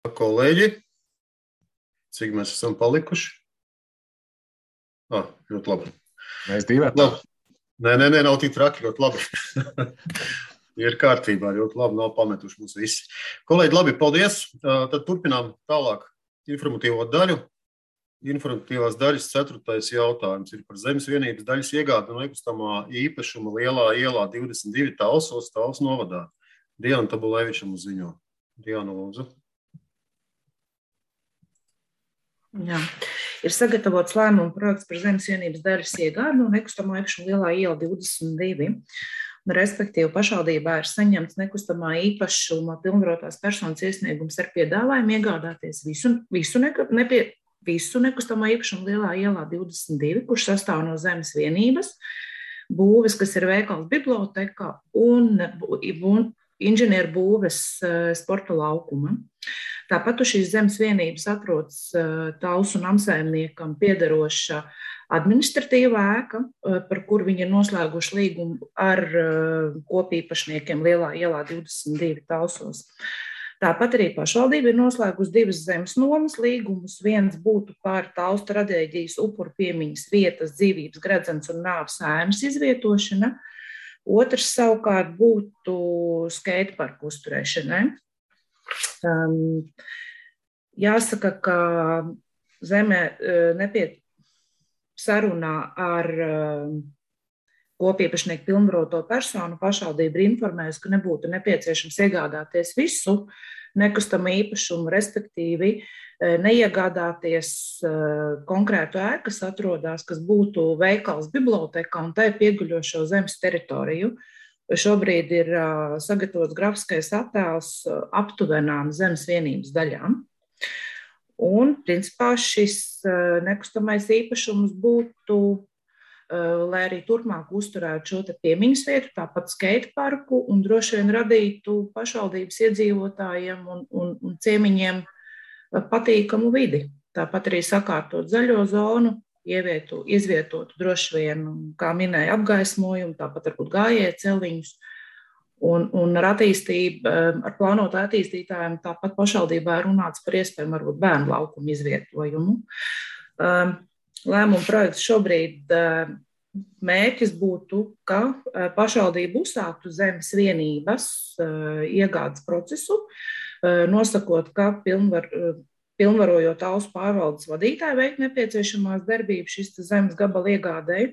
Kolēģi, cik mēs esam palikuši? Ļoti labi. Mēs divi. Nē, nav tik traki, ļoti labi. Ir kārtībā, ļoti labi, nav pametuši mums visi. Kolēģi, labi, paldies. Tad turpinām tālāk informatīvo daļu. Informatīvās daļas 4. jautājums ir par Zemes vienības daļas iegādi no nekustamā īpašuma Lielā ielā 22 Talsos, Talsu novadā. Diana Tabulēvičam uz ziņo. Diana, lūdzu. Jā. Ir sagatavots lēmuma projekts par Zemes vienības daļas iegādi no nekustamā īpašuma Lielā iela 22. Respektīvi, pašvaldībā ir saņemts nekustamā īpašuma pilnvarotās personas iesniegums ar piedāvājumu iegādāties visu nekustamā īpašuma Lielā ielā 22, kurš sastāv no zemes vienības, būves, kas ir veikals biblioteka un inženieru būves sporta laukuma. Tāpat uz šīs zemes vienības atrodas Talsu namsaimniekam piederoša administratīvā ēka, par kuru viņi ir noslēguši līgumu ar kopīpašniekiem Lielā ielā 22 Talsos. Tāpat arī pašvaldība ir noslēgusi 2 zemes nomas līgumus. Viens būtu par Talsu traģēdijas upuru piemiņas vietas, dzīvības, gredzens un nāves ēnas izvietošana. Otrs savukārt būtu skateparku uzturēšanai. Jāsaka, ka zemē sarunā ar kopīpašnieku pilnvaroto personu pašvaldība ir informējusi, ka nebūtu nepieciešams iegādāties visu nekustamo īpašumu, respektīvi neiegādāties konkrētu ēku, kas atrodas, kas būtu veikals biblioteka un tai pieguļošo zemes teritoriju. Šobrīd ir sagatavots grafiskais attēls aptuvenām zemes vienības daļām. Un, principā, šis nekustamais īpašums būtu, lai arī turpmāk uzturētu šo piemiņas vietu, tāpat skateparku un droši vien radītu pašvaldības iedzīvotājiem un ciemiņiem patīkamu vidi. Tāpat arī sakārtot zaļo zonu, izvietotu droši vien, kā minēja, apgaismojumu, tāpat varbūt gājēju celiņus un ar attīstību, ar plānotu attīstītājiem, tāpat pašvaldībā runāts par iespējamu varbūt bērnu laukumu izvietojumu. Lēmuma projekts šobrīd mērķis būtu, ka pašvaldība uzsāktu zemes vienības iegādes procesu, nosakot, ka pilnvarojot Talsu pārvaldes vadītāju veikt nepieciešamās darbības šis zemes gabala iegādēji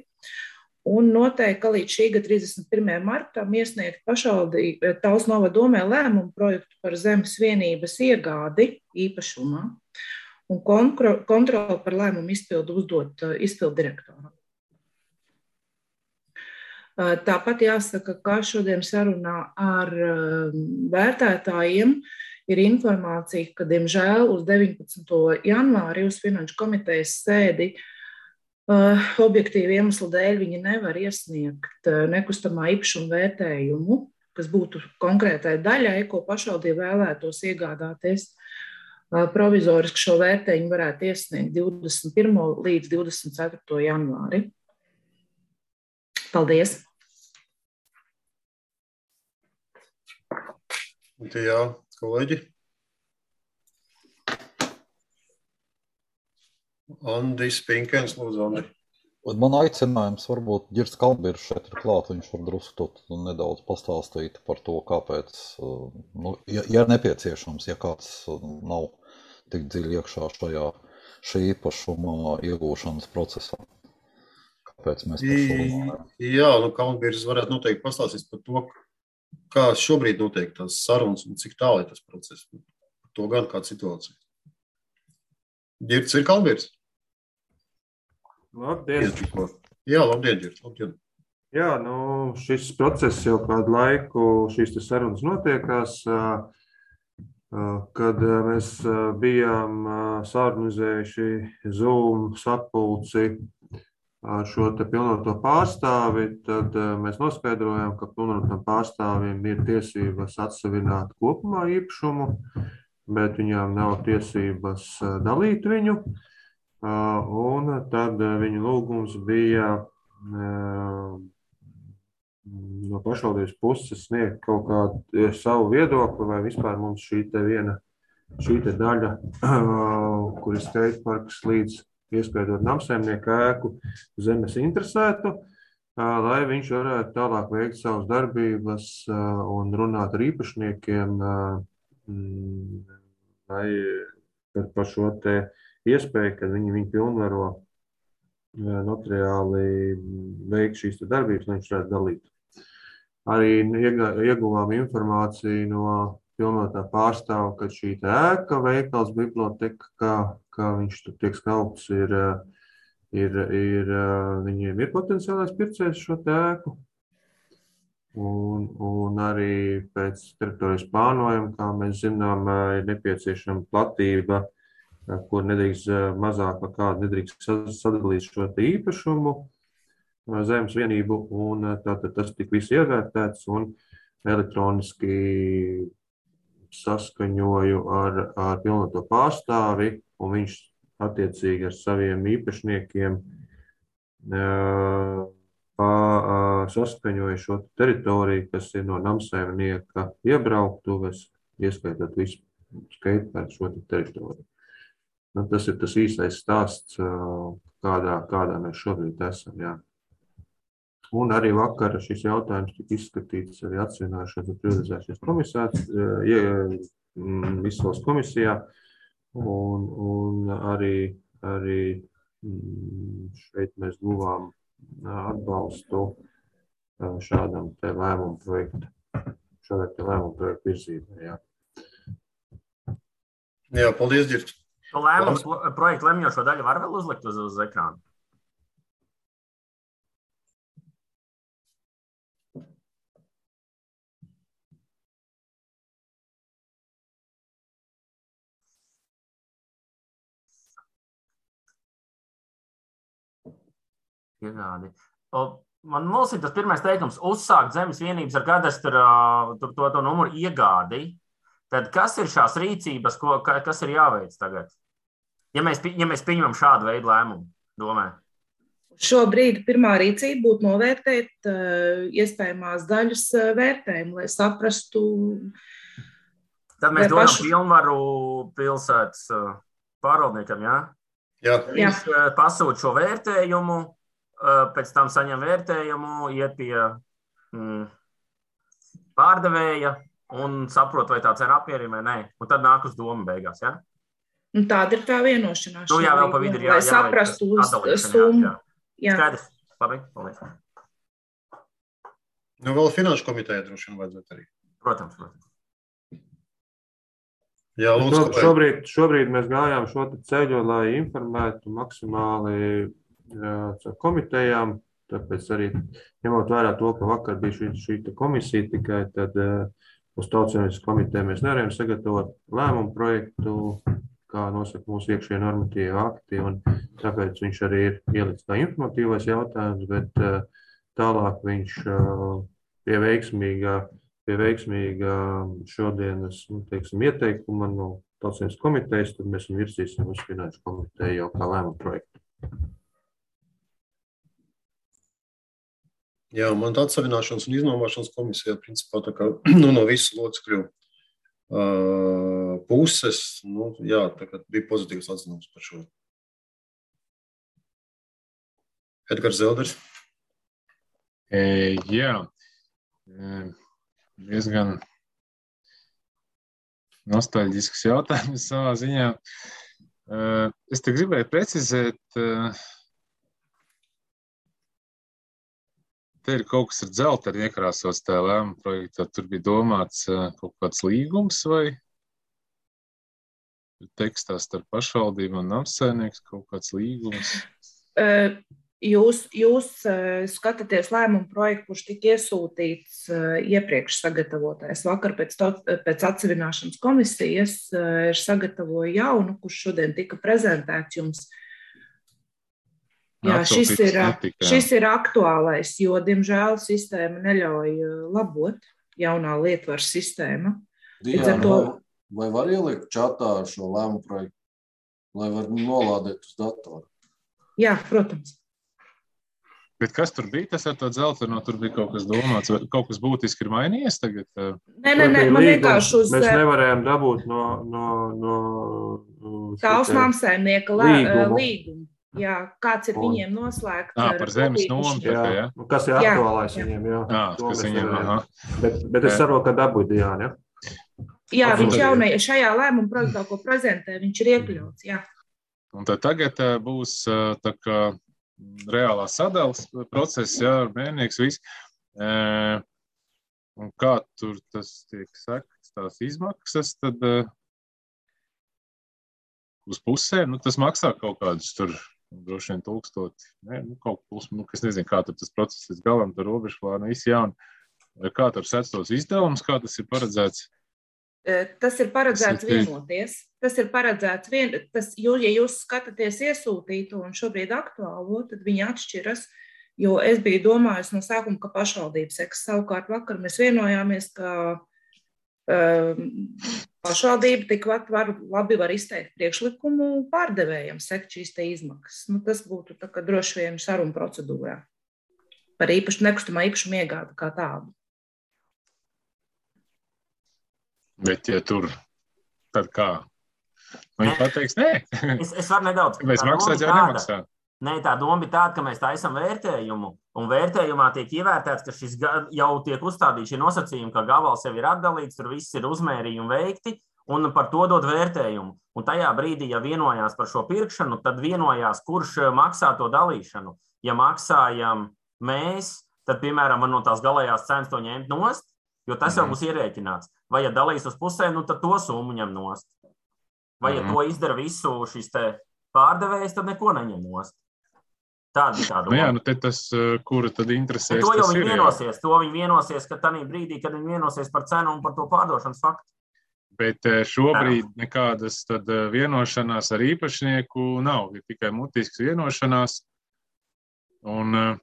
un noteikti, ka līdz šī gada 31. martam iesniegt pašvaldību Talsu novada domē lēmumu projektu par zemes vienības iegādi īpašumā un kontroli par lēmumu izpildu uzdot izpildu direktoram. Tāpat jāsaka, ka šodien sarunā ar vērtētājiem ir informācija, ka, diemžēl, uz 19. janvāri uz Finanšu komitejas sēdi objektīvu iemeslu dēļ viņi nevar iesniegt nekustamā īpašuma vērtējumu, kas būtu konkrētai daļai, ko pašvaldība vēlētos iegādāties. Provizoriski šo vērtējumu varētu iesniegt 21. līdz 24. janvāri. Paldies! Jā, kolēģi. Andis Pinkens, lūdzu, Andi. Man aicinājums varbūt Ģirds Kalnbīrs šeit ir klāt, viņš var drusku nedaudz pastāstīt par to, kāpēc, ja nepieciešams, ja kāds nav tik dziļi iekšā šī īpašuma iegūšanas procesā. Kāpēc mēs par šo runājam? Jā, Kalnbīrs varētu noteikti pastāstīt par to, kā šobrīd notiek tās sarunas un cik tālu ir tas process. Par to gan kāda situācija. Ģirds ir Kalnbīrs? Labdien! Jā, labdien, Ģirds, labdien! Jā, šis process jau kādu laiku, šīs sarunas notiekās, kad mēs bijām sarunizējuši Zoom sapulci ar šo pilnvaroto pārstāvi, tad mēs noskaidrojām, ka pilnvarotam pārstāvim ir tiesības atsevināt kopumā īpašumu, bet viņām nav tiesības dalīt viņu. Un tad viņa lūgums bija no pašvaldības puses sniegt kaut kādu savu viedokli, vai vispār mums šī te viena šī te daļa, kur ir skateparks līdz ieskaitot namsaimnieku ēku zemes interesētu, lai viņš varētu tālāk veikt savas darbības un runāt ar īpašniekiem, lai par šo te iespēju, kad viņi pilnvaro notariāli veikt šīs te darbības, lai viņš varētu dalīt. Arī ieguvām informāciju no pilnotā pārstāva, ka šī ēka, veikals, biblioteka, kā viņš tur tiek skaupts, viņiem ir potenciālais pircējs šo ēku. Un arī pēc teritorijas plānojuma, kā mēs zinām, ir nepieciešama platība, kur nedrīkst mazāk par kādu nedrīkst sadalīt šo īpašumu, zemes vienību, un tātad tas tik viss ievērtēts un elektroniski saskaņoju ar pilnoto pārstāvi, un viņš attiecīgi ar saviem īpašniekiem saskaņoja šo teritoriju, kas ir no namsaimnieka iebrauktuves, ieskaitot visu skateparku šo teritoriju. Tas ir tas īsais stāsts, kādā mēs šobrīd esam, jā. Un arī vakar šis jautājums tika izskatīts arī atsvināšanas un privatizācijas izsoles komisijā, un arī šeit mēs guvām atbalstu šādam te lēmumu projektu virzībai, jā. Jā, paldies, Ģirds. Lēmums projektu lemjošo daļu var vēl uzlikt uz ekrānu? Iegādi. Man ir tas pirmais teikums, uzsākt zemes vienības ar kadastru to numuru iegādi. Tad kas ir šās rīcības, kas ir jāveic tagad? Ja mēs pieņemam šādu veidu lēmumu, domē? Šobrīd pirmā rīcība būtu novērtēt iespējamās daļas vērtējumu, lai saprastu. Tad mēs dodam pilnvaru pilsētas pārvaldniekam, jā? Jā. Viņš pasūta šo vērtējumu, pēc tam saņem vērtējumu, iet pie pārdevēja un saprot, vai tā cena apmierina vai nē. Un tad nāk uz domu beigās, jā? Un tāda ir tā vienošanās. Jā, vēl pa vidu ir lai saprastu summu. Skaidrs. Labi, paldies. Vēl finanšu komiteja droši vien vajadzētu arī. Protams. Jā, lūdzu, šobrīd mēs gājām šo ceļu, lai informētu maksimāli komitejām, tāpēc arī ņemot vērā to, ka vakar bija šī komisija tikai, tad uz Tautsaimniecības komiteju mēs nevarējām sagatavot lēmumu projektu, kā nosaka mūsu iekšējie normatīvi akti, un tāpēc viņš arī ir ielikts kā informatīvais jautājums, bet tālāk viņš pie veiksmīga šodienas, ieteikuma no Tautsaimniecības komitejas, tad mēs virsīsim uz finanšu komiteju jau kā lēmumu projektu. Jā, man tā atsavināšanas un iznomāšanas komisijā, principā, tā kā no visu locekļu puses, jā, tā kā bija pozitīvs atzinums par šo. Edgars Zelders. Jā, diezgan nostalģisks jautājums savā ziņā. Es te gribēju precizēt, te ir kaut kas ar dzelteni iekrāsots tajā lēmuma projektā. Tur bija domāts kaut kāds līgums vai tekstā starp pašvaldību un namsaimnieks kaut kāds līgums? Jūs skatāties lēmumu projektu, kurš tika iesūtīts iepriekš sagatavotais. Vakar pēc atsevināšanas komisijas ir sagatavoja jaunu, kurš šodien tika prezentēts jums. Jā, šis ir aktuālais, jo, diemžēl, sistēma neļauj labot, jaunā lietvaras sistēma. Diana, vai var ielikt čatā šo lēmumu projektu, lai var nolādēt uz datoru? Jā, protams. Bet kas tur bija? Tas ar to dzelteno, tur bija kaut kas domāts, vai kaut kas būtiski ir mainījies tagad? Nē, man vienkārši uz... Mēs nevarējām dabūt no Tāls māmsaimnieka līgumu. Jā, kāds ir viņiem noslēgts. Par zemes nomu. Jā. Kas ir aktuālais viņiem, jā. Kas viņiem, Bet es saprotu, ka dabūju Diāni, ja? Jā, viņš šajā lēmuma projektā, ko prezentē, viņš ir iekļauts, jā. Un tad tagad būs tā kā reālā sadalas process, jā, mēnieks viss. Un kā tur tas tiek sekts, tās izmaksas, tad uz pusēm, tas maksā kaut kādus tur, droši vien 1000, kaut plus, es nezinu, kā tur tas process līdz galam, tur robežplāna, visi jauni. Kā tur sēc tos izdevumus, kā tas ir paredzēts? Tas ir paredzēts vienoties. Tas ir paredzēts ja jūs skatāties iesūtītu un šobrīd aktuālo, tad viņi atšķiras, jo es biju domājusi no sākuma, ka pašvaldības seks. Savukārt vakar mēs vienojāmies, ka pašvaldība tikpat labi var izteikt priekšlikumu pārdevējiem sekt šīs te izmaksas. Tas būtu tā kā droši vien saruna procedūrā par nekustamā īpašuma iegādi kā tādu. Bet, ja tur, tad kā? Viņi pateiks, nē. Es varu nedaudz. Mēs maksāt jau nemaksā. Nē, tā doma bija tāda, ka mēs taisam vērtējumu, un vērtējumā tiek ievērtēts, ka šis jau tiek uzstādīts šie nosacījumi, ka gabals jau ir atdalīts, tur viss ir uzmērījumi veikti, un par to dod vērtējumu. Un tajā brīdī, ja vienojās par šo pirkšanu, tad vienojās, kurš maksā to dalīšanu. Ja maksājam mēs, tad, piemēram, man no tās galējās cenas to ņemt nost, jo tas jau būs ierēķināts. Vai ja dalīs uz pusēm, tad to summu ņem nost. Vai ja to izdara visu šis te pārdevējs, tad neko neņem nost. Tāda ir tā doma. Jā, te tas, kura tad interesēs, to jau viņi vienosies. To viņi vienosies, ka tādā brīdī, kad viņi vienosies par cenu un par to pārdošanas faktu. Bet šobrīd nekādas tad vienošanās ar īpašnieku nav. Ir tikai mutisks vienošanās. Un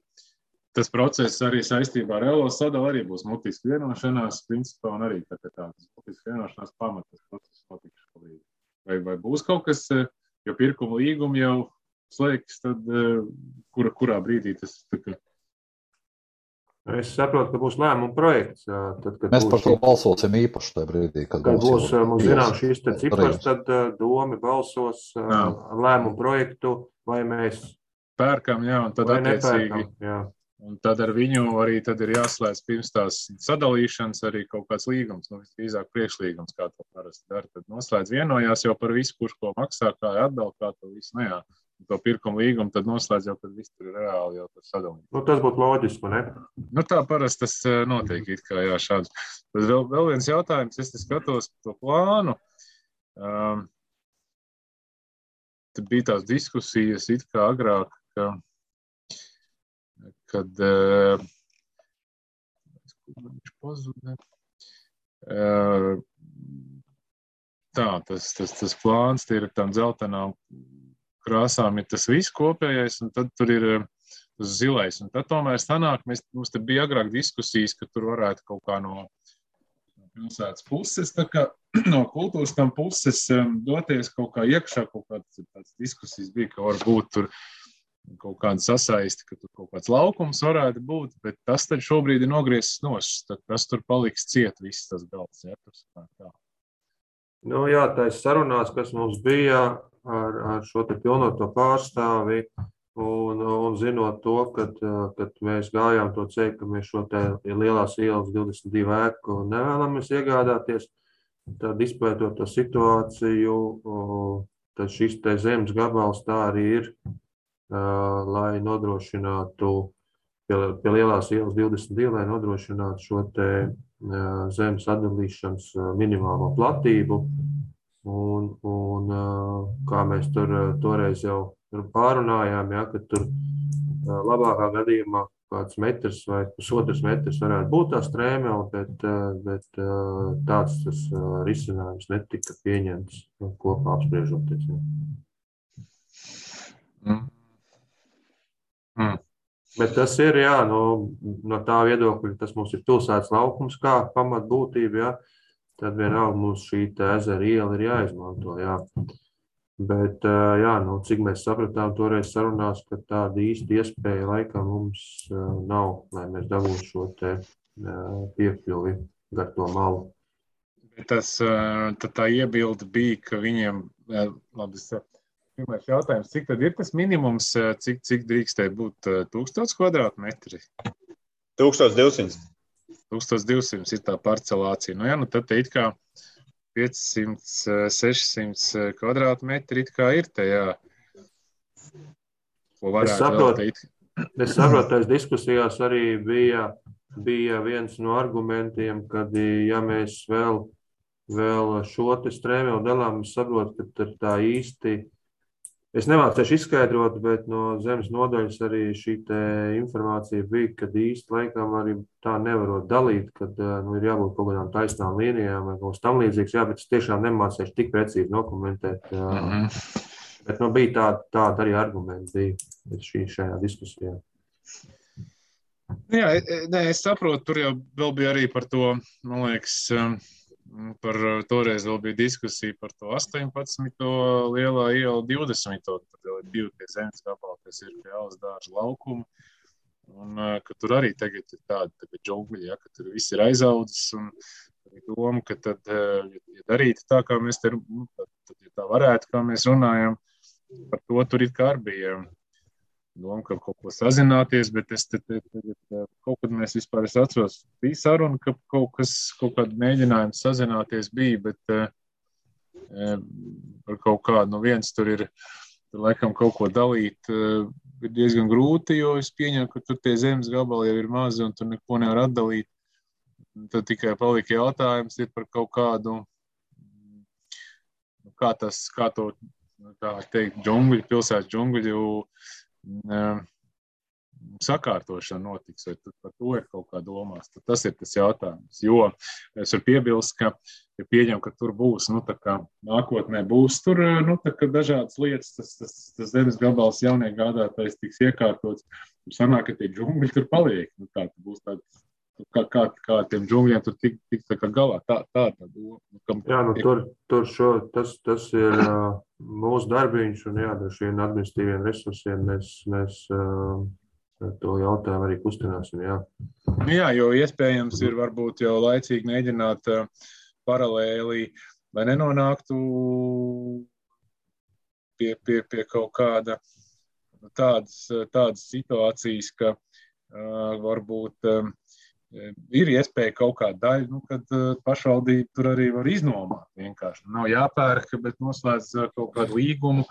tas process arī saistībā ar ELO sadalu arī būs mutisks vienošanās, principā, un arī tādas mutisks vienošanās pamatas process notiks šobrīd. Vai būs kaut kas, jo pirkuma līguma jau slēgs, tad kurā brīdī tas tā kā? Es saprotu, ka būs lēmuma projekts. Tad, kad mēs par to balsosim īpaši tajā brīdī, kad būs mums zinām šīs te cipars, tad domi balsos lēmumu projektu, vai mēs pērkam, jā, un tad attiecīgi. Un tad ar viņu arī tad ir jāslēdz pirms tās sadalīšanas arī kaut kāds līgums, visdrīzāk priekšlīgums, kā to parasti dara. Tad noslēdz vienojās jau par visu, kurš ko maksā, kā atdala, kā to visu, jā. To pirkumu līgumu tad noslēdz jau, kad viss tur ir reāli jau tas sadalījums. Tas būtu loģiski, ne? Tā parasti tas notiek it kā, jā, šāds. Tad vēl viens jautājums, es te skatos to plānu. Tad bija tās diskusijas it kā agrāk, kad viņš pazuda. Tas plāns ir tam dzeltenām krāsām ir tas viss kopējais, un tad tur ir tas zilais. Un tad tomēr sanāk, mums te bija agrāk diskusijas, ka tur varētu kaut kā no pilsētas puses, tā kā no kultūras tam puses doties kaut kā iekšā, kaut kādas diskusijas bija, ka varbūt tur kaut kāda sasaisti, ka tur kaut kāds laukums varētu būt, bet tas tad šobrīd ir nogriezis nost, tad kas tur paliks ciet viss tas galds, ja, tā. Jā, tais sarunās, kas mums bija ar šo te pilnoto pārstāvi un zinot to, kad mēs gājām to ceļu, ka mēs šo te lielās ielas 22 ēku nevēlamies iegādāties, tad izpētot to situāciju, tad šis te zemes gabals tā arī ir, lai nodrošinātu pie lielās ielas 22, lai nodrošinātu šo te zemes atdalīšanas minimālo platību. Un kā mēs tur toreiz jau pārunājām, ja, ka tur labākā gadījumā kāds metrs vai pusotrs metrs varētu būt tā strēme, bet tāds tas risinājums netika pieņemts kopā apspriežoties. Bet tas ir, jā, no tā viedokļa, tas mums ir pilsētas laukums kā pamatbūtība, jā, tad vienalga mums šī ezera iela ir jāizmanto, jā. Bet, jā, nu, cik mēs sapratām toreiz sarunās, ka tāda īsta iespēja laikam mums nav, lai mēs dabūtu šo te piekļuvi gar to malu. Tad tā iebilde bija, ka viņiem, labi, pirmais jautājums, cik tad ir tas minimums, cik drīkstēja būt 1000 kvadrātmetri? 1200. 1200 ir tā parcelācija. Nu jā, nu tad it kā 500, 600 kvadrātmetri it kā ir te, jā. Ko varētu vēl teikt? Es saprotu, tās diskusijās arī bija viens no argumentiem, kad, ja mēs vēl šo te strēmēlu dalām, es saprotu, ka tā īsti, es nemācēšu izskaidrot, bet no zemes nodaļas arī šī te informācija bija, kad īsti laikam arī tā nevarot dalīt, kad ir jābūt kaut kādām taisnām līnijām vai kaut kas tam līdzīgs, jā, bet es tiešām nemācēšu tik precīzi dokumentēt. Bet bija tāda arī argumenti bija šajā diskusijā. Jā, es saprotu, tur jau vēl bija arī par to, man liekas, toreiz vēl bija diskusija par to 18. lielā iela 20. Tad vēl ir 2 tie zemes gabali, kas ir pie Alas dārza laukuma. Un ka tur arī tagad ir tāda džungļi, ja, ka tur viss ir aizaudzis. Un doma, ka tad, ja darītu tā, kā mēs te, tad ja tā varētu, kā mēs runājam, par to tur it kā arī bija doma, ka kaut ko sazināties, bet kaut kad mēs vispār, es atceros, bija saruna, ka kaut kāda mēģinājums sazināties bija, bet par kaut kādu, no viens tur ir, laikam kaut ko dalīt, ir diezgan grūti, jo es pieņemu, ka tur tie zemes gabali jau ir mazi un tur neko nevar atdalīt. Tad tikai palika jautājums ir par kaut kādu, kā to, tā teikt, džungļu, pilsētas džungļu, sakārtošana notiks, vai par to ir kaut kā domās. Tad tas ir tas jautājums. Jo es varu piebilst, ka ja pieņem, ka tur būs, nu tā kā nākotnē būs tur, nu tā kā dažādas lietas, tas zemes gabals jaunie gādātais tiks iekārtots, tur sanāk, ka tie džungļi tur paliek. Nu tā būs tāds, kā tiem džungļiem tur tiks tā kā galā. Tā doma. Jā, nu tas ir mūsu darbiņš un jā, ar šiem administratīviem resursiem mēs to jautājumu arī kustināsim, jā. Jā, jo iespējams ir varbūt jau laicīgi mēģināt paralēli, lai nenonāktu pie kaut kāda tādas situācijas, ka varbūt ir iespēja kaut kāda daļa, nu, kad pašvaldība tur arī var iznomāt vienkārši. Nav jāpērk, bet noslēdz kaut kādu līgumu,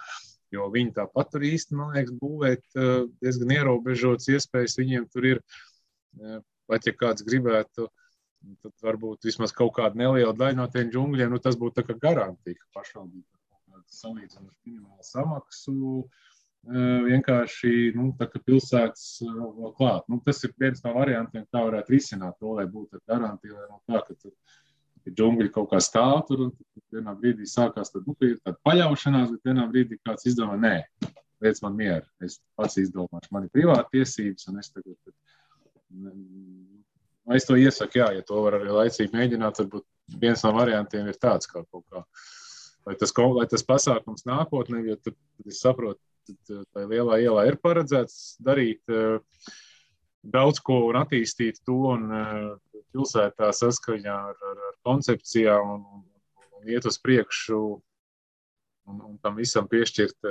jo viņi tāpat tur īsti, man liekas, būvēt diezgan ierobežotas iespējas. Viņiem tur ir, pat ja kāds gribētu, tad varbūt vismaz kaut kāda neliela daļa no tiem džungļiem, nu, tas būtu tā kā garantija, ka pašvaldība kaut kādu salīdzinošu minimālu samaksu vienkārši, nu, tā kā pilsētas vēl klāt. Nu, tas ir viens no variantiem, kā varētu risināt to, lai būtu garantija, lai no tā, ka tur džungļi kaut kā stāv tur, un vienā brīdī sākās, tad, nu, ir tāda paļaušanās, bet vienā brīdī kāds izdomā, nē, liec man mieru, es pats izdomāšu, man ir privāta tiesības, un es tagad, es to iesaku, jā, ja to var arī laicīgi mēģināt, varbūt viens no variantiem ir tāds, kā kaut kā, lai tas pasākums nākotnē, jo tad es saprotu, tā lielā ielā ir paredzēts darīt daudz ko un attīstīt to un pilsētā saskaņā ar koncepcijām un iet uz priekšu un tam visam piešķirt,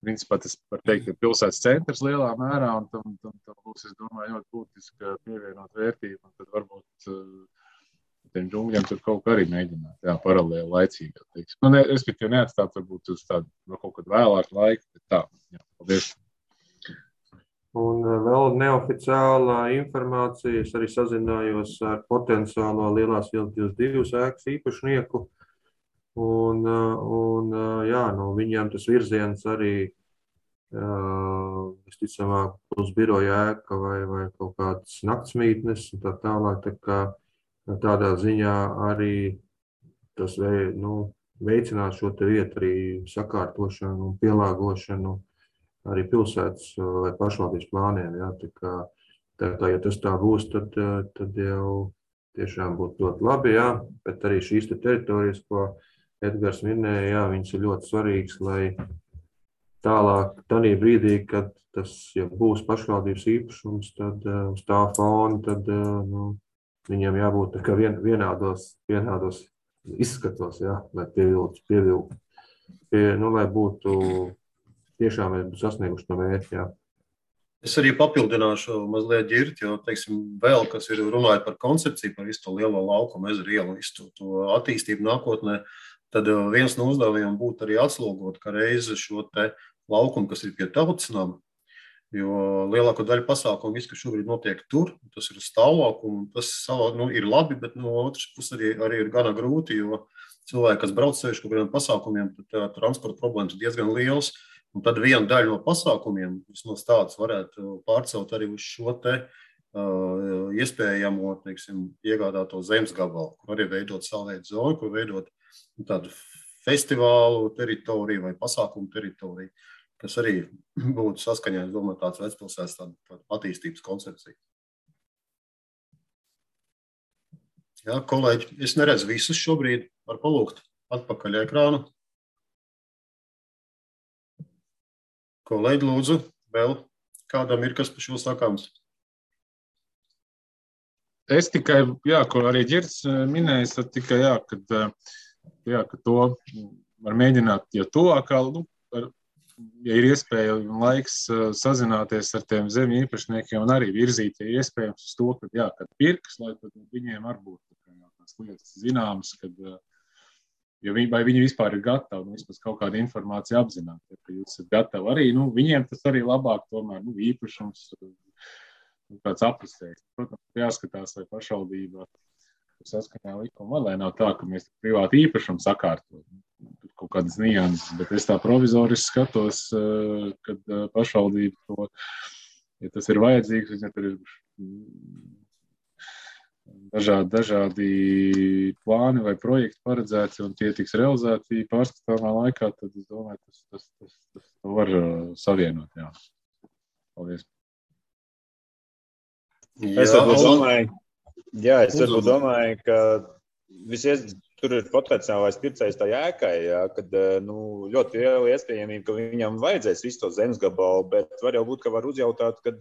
principā tas var teikt, ir pilsētas centrs lielā mērā un tam būs, es domāju, ļoti būtiska pievienot vērtību un tad varbūt tiem džungļiem tur kaut kā arī mēģināt, jā, paralēli laicīgi. Nu, respektīvi neatstāt varbūt uz tādu kaut kādu vēlāku laiku, bet tā, jā, paldies. Un vēl neoficiālā informācija, es arī sazinājos ar potenciālo Lielās ielas 22 ēkas īpašnieku, un jā, no viņiem tas virziens arī, visticamāk, uz biroja ēka vai kaut kādas naktsmītnes, un tā tālāk, tā kā tādā ziņā arī tas veicinās šo te vietu arī sakārtošanu un pielāgošanu arī pilsētas vai pašvaldības plāniem. Jā. Tā kā, ja tas tā būs, tad jau tiešām būtu ļoti labi, jā. Bet arī šīs te teritorijas, ko Edgars minēja, jā, viņš ir ļoti svarīgs, lai tālāk, tādā brīdī, kad tas būs pašvaldības īpašums, tad uz tā fona, tad viņiem jābūt vienādos izskatos, jā, lai pievilktu, lai būtu tiešām mēs būtu sasnieguši to mērķi, jā. Es arī papildināšu mazliet ģirti, jo, teiksim, vēl, kas ir runājot par koncepciju, par visu to lielo laukumu, ezeru ielu, visu to attīstību nākotnē, tad viens no uzdevumiem būtu arī atslogot, ka reizi šo te laukumu, kas ir pie tautas nama, jo lielāko daļu pasākumu, viss, kas šobrīd notiek tur, tas ir stāvlaukumu, tas ir labi, bet no otras puses arī ir gana grūti, jo cilvēki, kas brauc sevišķi kaut kādiem pasākumiem, tad transporta problēmas ir diezgan liels. Un tad viena daļa no pasākumiem, vismaz tāds varētu pārcelt arī uz šo te iespējamo, teiksim, iegādāto zemes gabalu, kur arī veidot savu veidu zonu, kur veidot tādu festivālu teritoriju vai pasākumu teritoriju, kas arī būtu saskaņā, es domāju, tāds vecpilsētas tāda attīstības koncepcija. Jā, kolēģi, es neredzu visus šobrīd, var palūgt atpakaļ ekrānu. Kolēģi, lūdzu, vēl kādam ir kas par šo sakāms? Es tikai, jā, ko arī Ģirds minējis, tad tikai, ka to var mēģināt, ja tuvāk, ja ir iespēja un laiks sazināties ar tiem zemju īpašniekiem un arī virzīt, ja iespējams uz to, kad pirks, lai tad viņiem var būt tās lietas zināmas, vai viņi vispār ir gatavi, vismaz kaut kādu informāciju apzināt, ka jūs esat gatavi arī, viņiem tas arī labāk tomēr, īpašums, kāds aprisēs. Protams, jāskatās, vai pašvaldība saskaņā likuma, lai nav tā, ka mēs privāti īpašumu sakārtot. Tur kaut kādas nianses, bet es tā provizoriski skatos, kad pašvaldība to, ja tas ir vajadzīgs, ja tur ir dažādi plāni vai projekti paredzēti un tie tiks realizēti pārskatāmā laikā, tad es domāju, tas to var savienot. Jā. Paldies. Es varbūt domāju, ka tur ir potenciālais pircējs tā jēkai, kad ļoti liela iespējamība, ka viņam vajadzēs visu to zemes gabalu, bet var jau būt, ka var uzjautāt, kad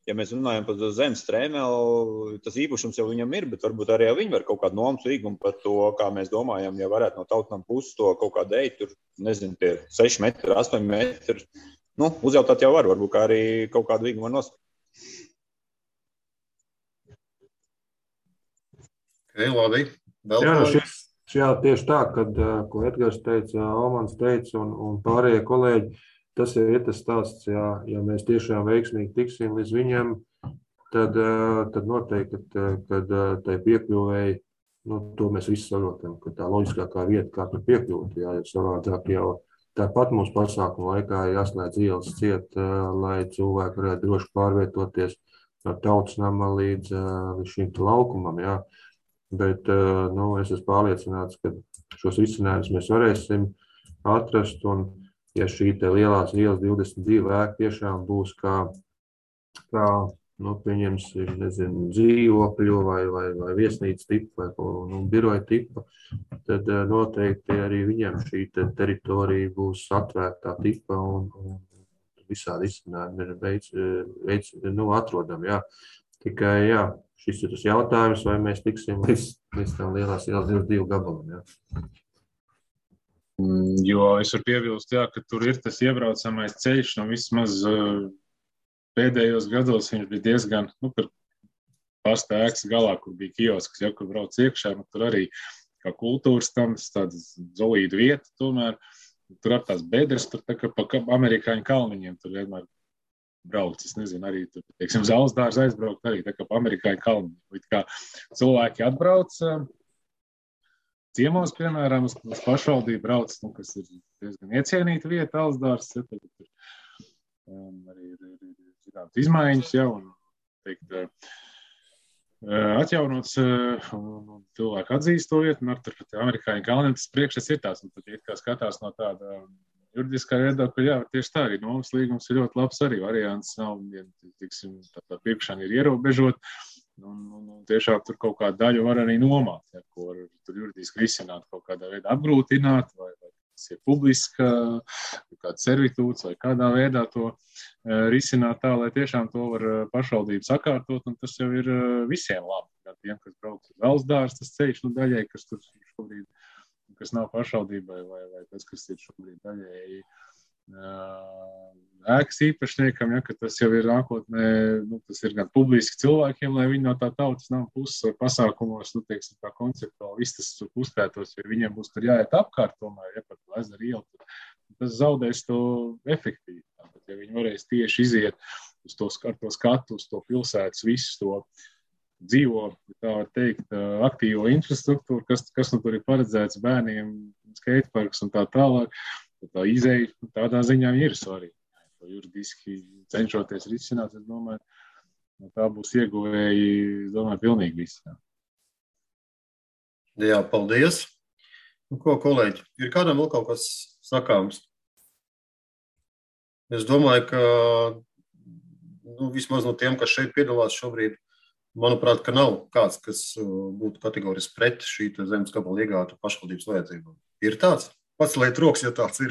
ja mēs runājam par zemes strēmeli, tas īpašums jau viņam ir, bet varbūt arī viņi var kaut kādu nomas līgumu par to, kā mēs domājam, ja varētu no tautnām puses to kaut kādu eitu, tur, nezinu, tie 6 metri, 8 metri. Uzjautāt jau var, varbūt kā arī kaut kādu līgumu var nosakt. Labi. Jā, tieši tā, kad, ko Edgars teica, Almans teica un pārējie kolēģi, tas ir tas stāsts, ja mēs tiešām veiksmīgi tiksim līdz viņam, tad noteikti, kad tai piekļuvēji, to mēs visi saprotam, ka tā loģiskākā vieta, kā tur piekļūt, jo savādāk jau tāpat mūsu pasākumu laikā jāslēdz ielas ciet, lai cilvēki varētu droši pārvietoties no tautas nama līdz šim laukumam, jā. Bet es esmu pārliecināts, ka šos risinājumus mēs varēsim atrast, un ja šī te lielās ielas 22 ēka tiešām būs kā pieņemsim, nezinu, dzīvokļu vai viesnīcas tipa vai biroja tipa, tad noteikti arī viņiem šī teritorija būs atvērtā tipa un visādi izcinājumi atrodam, jā. Tikai, šis ir tas jautājums, vai mēs tiksim līdz tām lielās ielas 22 gabalam, jā. Jo es varu piebilst, ka tur ir tas iebraucamais ceļš, vismaz pēdējos gados viņš bija diezgan, par pasta ēkas galā, kur bija kiosks, kur brauc iekšā, tur arī kā kultūras tams, tādas zolīdu vieta tomēr, tur ar tās bedres, tur tā kā pa amerikāņu kalniņiem, tur vienmēr brauc, es nezinu, arī tur, teiksim, Zalsdārs aizbraukt arī tā kā pa amerikāņu kalniņiem, līdz kā cilvēki atbrauc, ciemos, piemēram, uz pašvaldību brauc, kas ir diezgan iecienīta vieta, Zalsdārs, arī ir zināmas izmaiņas, un teikt, atjaunots, un cilvēki atzīst to vietu, un ar tur amerikāņu kalniem tas priekšstats ir tās, un tad, ja kā skatās no tāda juridiskā viedokļa, tieši tā arī nomas līgums ir ļoti labs arī variants, nav, tiksim, tā pirkšana ir ierobežot, Un tiešām tur kaut kādu daļu var arī nomāt, ja, ko var tur juridiski risināt, kaut kādā veidā apgrūtināt, vai tas ir publiska, kāds servitūts, vai kādā veidā to risināt tā, lai tiešām to var pašvaldība sakārtot, un tas jau ir visiem labi. Gan tiem, kas brauc uz valsts dārstu, tas ceļš, daļai, kas tur šobrīd, kas nav pašvaldībai, vai tas, kas ir šobrīd daļai ēkas īpašniekam, ja, ka tas jau ir nākotnē, tas ir gan publiski cilvēkiem, lai viņi no tā tautas nav puses vai pasākumos, teiksim, tā konceptuāli viss tas uzpētos, jo viņiem būs tur jāiet apkārt tomēr, ja par to ezeru ielu, tas zaudēs to efektīvi. Tātad, ja viņi varēs tieši iziet uz to skatu, uz to pilsētas, visu to dzīvo, tā var teikt, aktīvo infrastruktūru, kas tur ir paredzēts bērniem, skateparks un tā tālāk. Tā izeja tādā ziņā ir svarīga. To juridiski cenšoties risināt, es domāju, tā būs ieguvēji, domāju, pilnīgi visi. Jā, paldies. Ko, kolēģi, ir kādam vēl kaut kas sakāms? Es domāju, ka vismaz no tiem, kas šeit piedalās šobrīd, manuprāt, ka nav kāds, kas būtu kategoriski pret šī zemes gabala iegātu pašvaldības vajadzībām. Ir tāds? Paceliet rokas, ja tāds ir.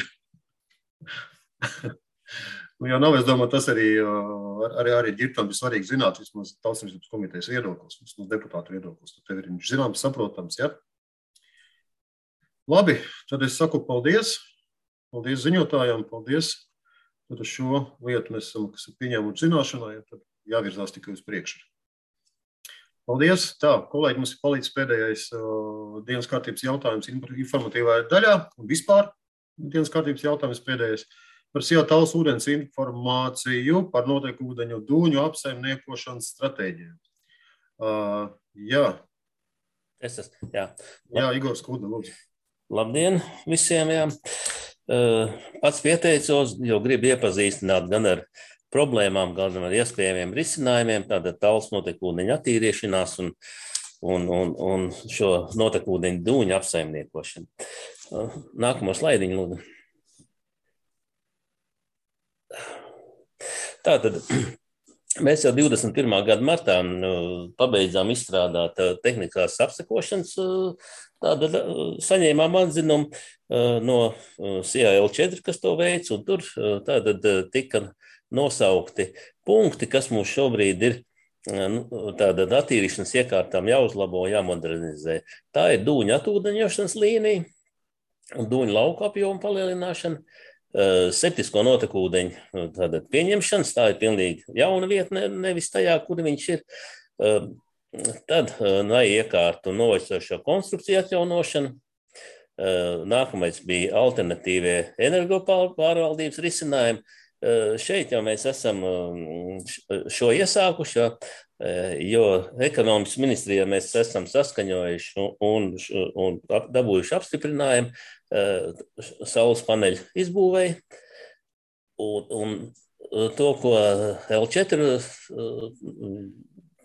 Ja nav, es domāju, tas arī ģirtam ir svarīgi zināt, vismaz Tautssaimniecības komitejas viedoklis, vismaz deputātu viedoklis. Tev ir zināms, saprotams, ja? Labi, tad es saku paldies. Paldies ziņotājām, paldies. Tad uz šo lietu mēs esam, kas ir pieņēmuši zināšanā, ja tad jāvirzās tikai uz priekšu. Paldies. Tā, kolēģi, mums ir palīdz pēdējais dienas kārtības jautājums informatīvajā daļā un vispār dienas kārtības jautājums pēdējais par Sijā Tallas ūdens informāciju par noteiktu ūdeņu dūņu apsaimniekošanas stratēģiju. Jā. Jā, Igor Skuda, lūdzu. Labdien visiem, jā. Pats pieteicos, jo gribu iepazīstināt gan ar problēmām, gan ar iespējamiem risinājumiem, tātad Tallas notekūdeņu attīriešanās un šo notekūdeņu dūņu apsaimniekošanu. Nākamo slaidiņu, lūdzu. Tātad mēs jau 21. gada martā pabeidzām izstrādāt tehniskās apsekošanas, tātad saņēmām atzinumu no CAL4, kas to veic, un tur tātad tika nosaukti punkti, kas mums šobrīd ir tātad attīrīšanas iekārtām jāuzlabo, jāmodernizē. Tā ir dūņu atūdeņošanas līnija un dūņu lauku apjomu palielināšana, septisko notekūdeņu tātad pieņemšanas, tā ir pilnīgi jauna vieta, nevis tajā, kur viņš ir. Tad iekārtu novecošo konstrukciju atjaunošana. Nākamais bija alternatīvie energopārvaldības risinājumi. Šeit jau mēs esam šo iesākuši, jo ekonomikas ministrijā mēs esam saskaņojuši un dabūjuši apstiprinājumu saules paneļu izbūvēji. Un to, ko L4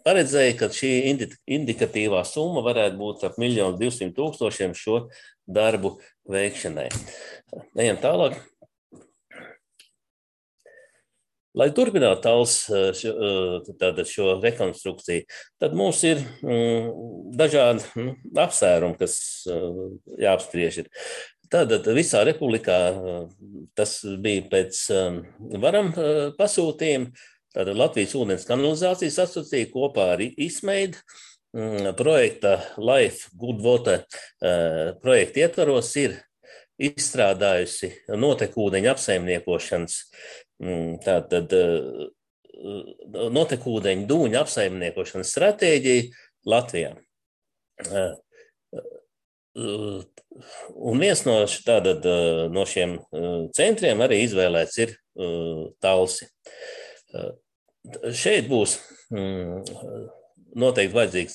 paredzēja, ka šī indikatīvā summa varētu būt ap 1 200 000 šo darbu veikšanai. Ejam tālāk. Lai turpinātu Tallas šo rekonstrukciju, tad mums ir dažādi apsvērumi, kas jāapspriež ir. Tātad visā republikā tas bija pēc varam pasūtījuma. Tātad Latvijas ūdens kanalizācijas asociācija kopā ar ISMEID projekta Life Good Water projekta ietvaros ir izstrādājusi notekūdeņu apsaimniekošanas, tātad notekūdeņu dūņu apsaimniekošanas stratēģiju Latvijā. Un viens no šiem centriem arī izvēlēts ir Talsi. Šeit būs noteikti vajadzīgs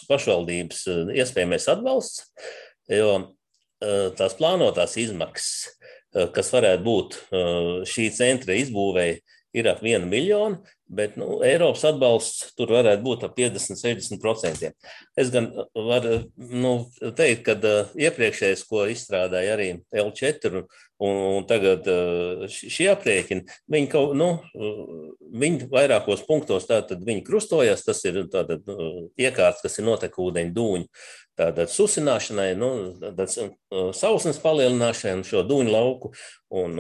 pašvaldības iespējamais atbalsts, jo tās plānotās izmaksas, kas varētu būt šī centra izbūvēja, ir ap 1 miljonu, Bet Eiropas atbalsts tur varētu būt ap 50–60%. Es gan varu teikt, ka iepriekšējais, ko izstrādāja arī L4 un tagad šie aprēķini, viņi vairākos punktos tātad viņi krustojās, tas ir tātad iekārts, kas ir notekūdeņu dūņu tātad susināšanai, sausnes palielināšanai un šo dūņu lauku un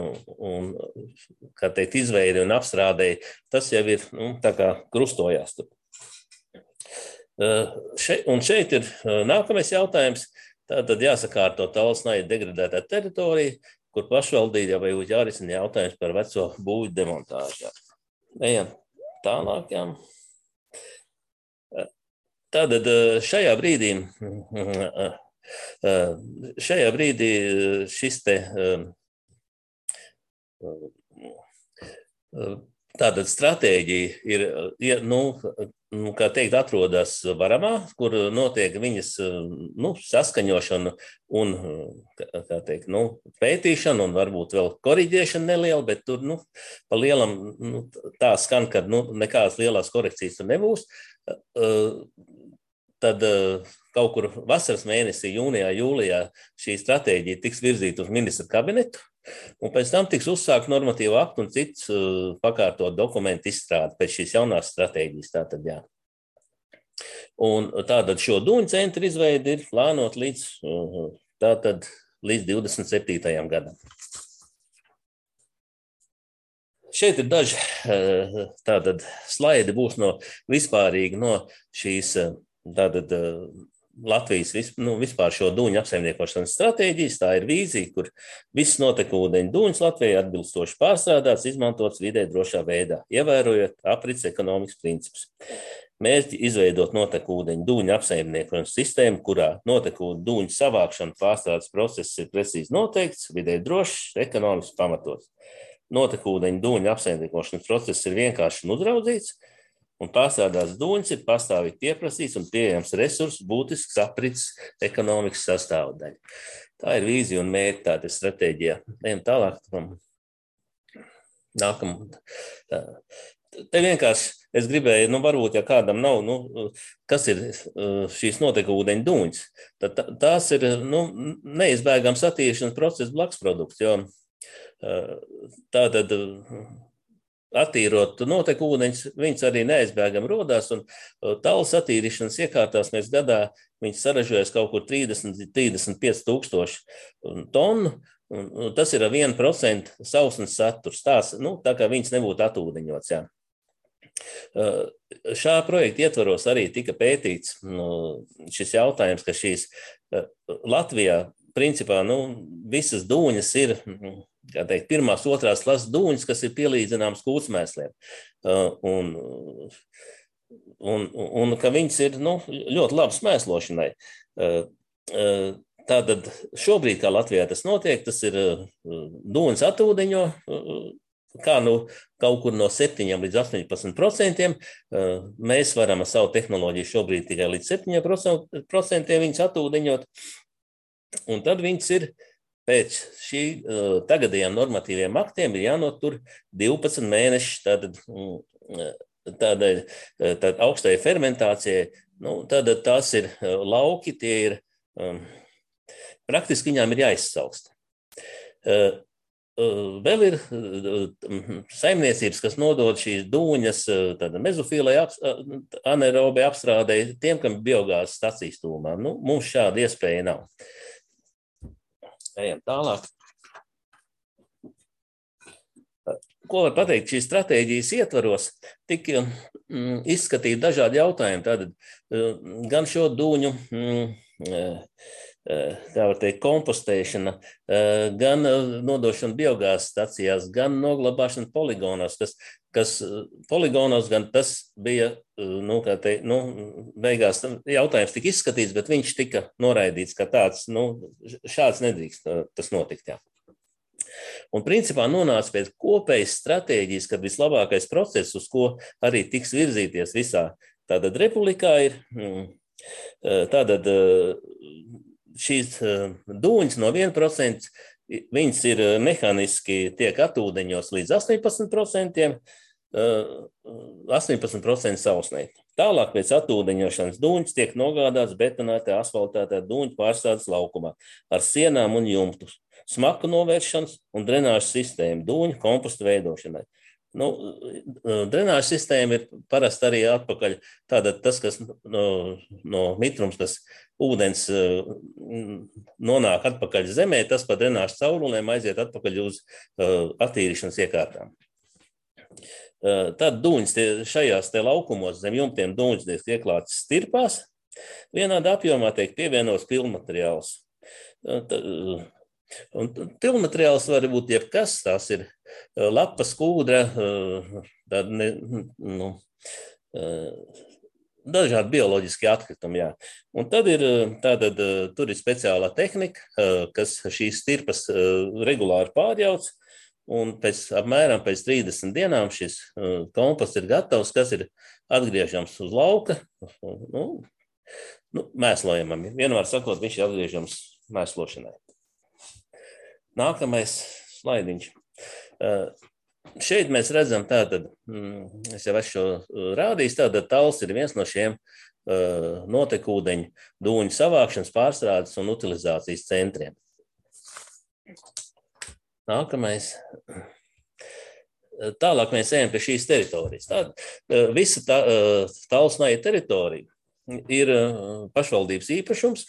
kā teikt, izveidi un apstrādēji, tas jau ir tā kā krustojās. Un šeit ir nākamais jautājums, tātad jāsakārto Talsnai degradētā teritorija, kur pašvaldība jau būtu jārisina jautājums par veco būvju demontāžu. Ejam tālāk, jā. Tātad šajā brīdī šis te tātad stratēģija ir, kā teikt, atrodas Varamā, kur notiek viņas saskaņošana un, kā teikt, pētīšana un varbūt vēl koriģēšana neliela, bet tur, pa lielam, tā skan, ka nekādas lielās korekcijas tur nebūs. Tad kaut kur vasaras mēnesī, jūnijā, jūlijā šī stratēģija tiks virzīta uz ministra kabinetu, un pēc tam tiks uzsākt normatīvu aktu un cits pakārtot dokumentu izstrādi pēc šīs jaunās stratēģijas. Tātad, jā. Un tātad šo dūņu centru izveidi ir plānot līdz 27. gadam. Šeit ir daži tātad slaidi būs vispārīgi no šīs tātad Latvijas vispār šo dūņu apsaimniekošanas stratēģijas. Tā ir vīzija, kur viss notekūdeņu dūņus Latvijai atbilstoši pārstrādāts, izmantots vidē drošā veidā, ievērojot aprits ekonomikas principus. Mērķi izveidot notekūdeņu dūņu apsaimniekošanas sistēmu, kurā notekūdeņu dūņu savākšana pārstrādes process ir precīzi noteikts, vidē drošs, ekonomiski pamatots. Notekūdeņu dūņu apsaimniekošanas process ir vienkārši un uzraudzīts, un pārstrādāts dūņus ir pastāvīgi pieprasīts un pieejams resurss, būtisks aprits ekonomikas sastāvdaļa. Tā ir vīzija un mērķi, tāda ir stratēģija. Ejam tālāk. Te vienkārši es gribēju, varbūt, ja kādam nav, kas ir šīs notekūdeņu dūņas, tad tās ir, neizbēgams attīrīšanas procesa blaksprodukts, jo tātad attīrot notekūdeņus, viņas arī neaizbēgam rodās, un talas attīrīšanas iekārtās mēs gadā viņas saražojas kaut kur 30–35 tūkstoši tonu, un tas ir 1% sausnes saturs, tā kā viņas nebūtu atūdeņots, jā. Šā projekta ietvaros arī tika pētīts šis jautājums, ka šīs Latvijā principā visas dūņas ir, kā teikt, pirmās, otrās klases dūņas, kas ir pielīdzināmas kūtsmēsliem. Un ka viņas ir ļoti labas mēslošanai. Tātad šobrīd, kā Latvijā tas notiek, tas ir dūņas atūdeņo, kā kaut kur no 7–18%. Mēs varam ar savu tehnoloģiju šobrīd tikai līdz 7% viņas atūdeņot. Un tad viņas ir pēc šī tagadējām normatīviem aktiem ir jānotur 12 mēneši tādai augstai fermentācijai. Tad tās ir lauki, tie ir praktiski viņām ir jāizsaust. Vēl ir saimniecības, kas nodod šīs dūņas mezofīlai anaerobai apstrādei tiem, kam biogāzes stacijas tūmā. Mums šāda iespēja nav. Ejam tālāk. Ko var pateikt, šīs stratēģijas ietvaros tika izskatīt dažādi jautājumi. Tātad gan šo dūņu, kā var teikt, kompostēšana, gan nodošana biogāzes stacijās, gan noglabāšana poligonos, kas poligonos gan tas bija, beigās jautājums tika izskatīts, bet viņš tika noraidīts, ka tāds, šāds nedrīkst tas notikt, jā. Un principā nonāca pēc kopējas stratēģijas, kad vislabākais process, uz ko arī tiks virzīties visā tātad republikā ir, tātad šīs dūņas no 1%, viņas ir mehāniski tiek atūdeņos līdz 18%, 18% sausnē. Tālāk pēc atūdeņošanas dūņas tiek nogādāts betonētā, asfaltētā dūņu pārstādes laukumā ar sienām un jumtu, smaku novēršanas un drenāžas sistēmu dūņu kompostu veidošanai. Drenāžas sistēma ir parasti arī atpakaļ. Tātad tas, kas no mitrums, kas ūdens nonāk atpakaļ zemē, tas pa drenāžas caurulēm aiziet atpakaļ uz attīrīšanas iekārtām. Tad dūņas šajās te laukumos zem jumtiem dūņas tiek ieklātas stirpās. Vienādā apjomā tiek pievienots pilnmateriāls. Un pilnmateriāls var būt jebkas, tās ir lapas, kūdra, dažādi bioloģiski atkritumi. Jā. Un tad tur ir speciālā tehnika, kas šīs stirpas regulāri pārjauc, un apmēram pēc 30 dienām šis komposts ir gatavs, kas ir atgriežams uz lauka, mēslojamam. Vienmēr sakot, viņš ir atgriežams mēslošanai. Nākamais slaidiņš. Šeit mēs redzam, es jau esmu šo rādījis, tals ir viens no šiem notekūdeņu dūņu savākšanas, pārstrādes un utilizācijas centriem. Nākamais. Tālāk mēs ejam pie šīs teritorijas. Visa Talsnaja teritorija ir pašvaldības īpašums.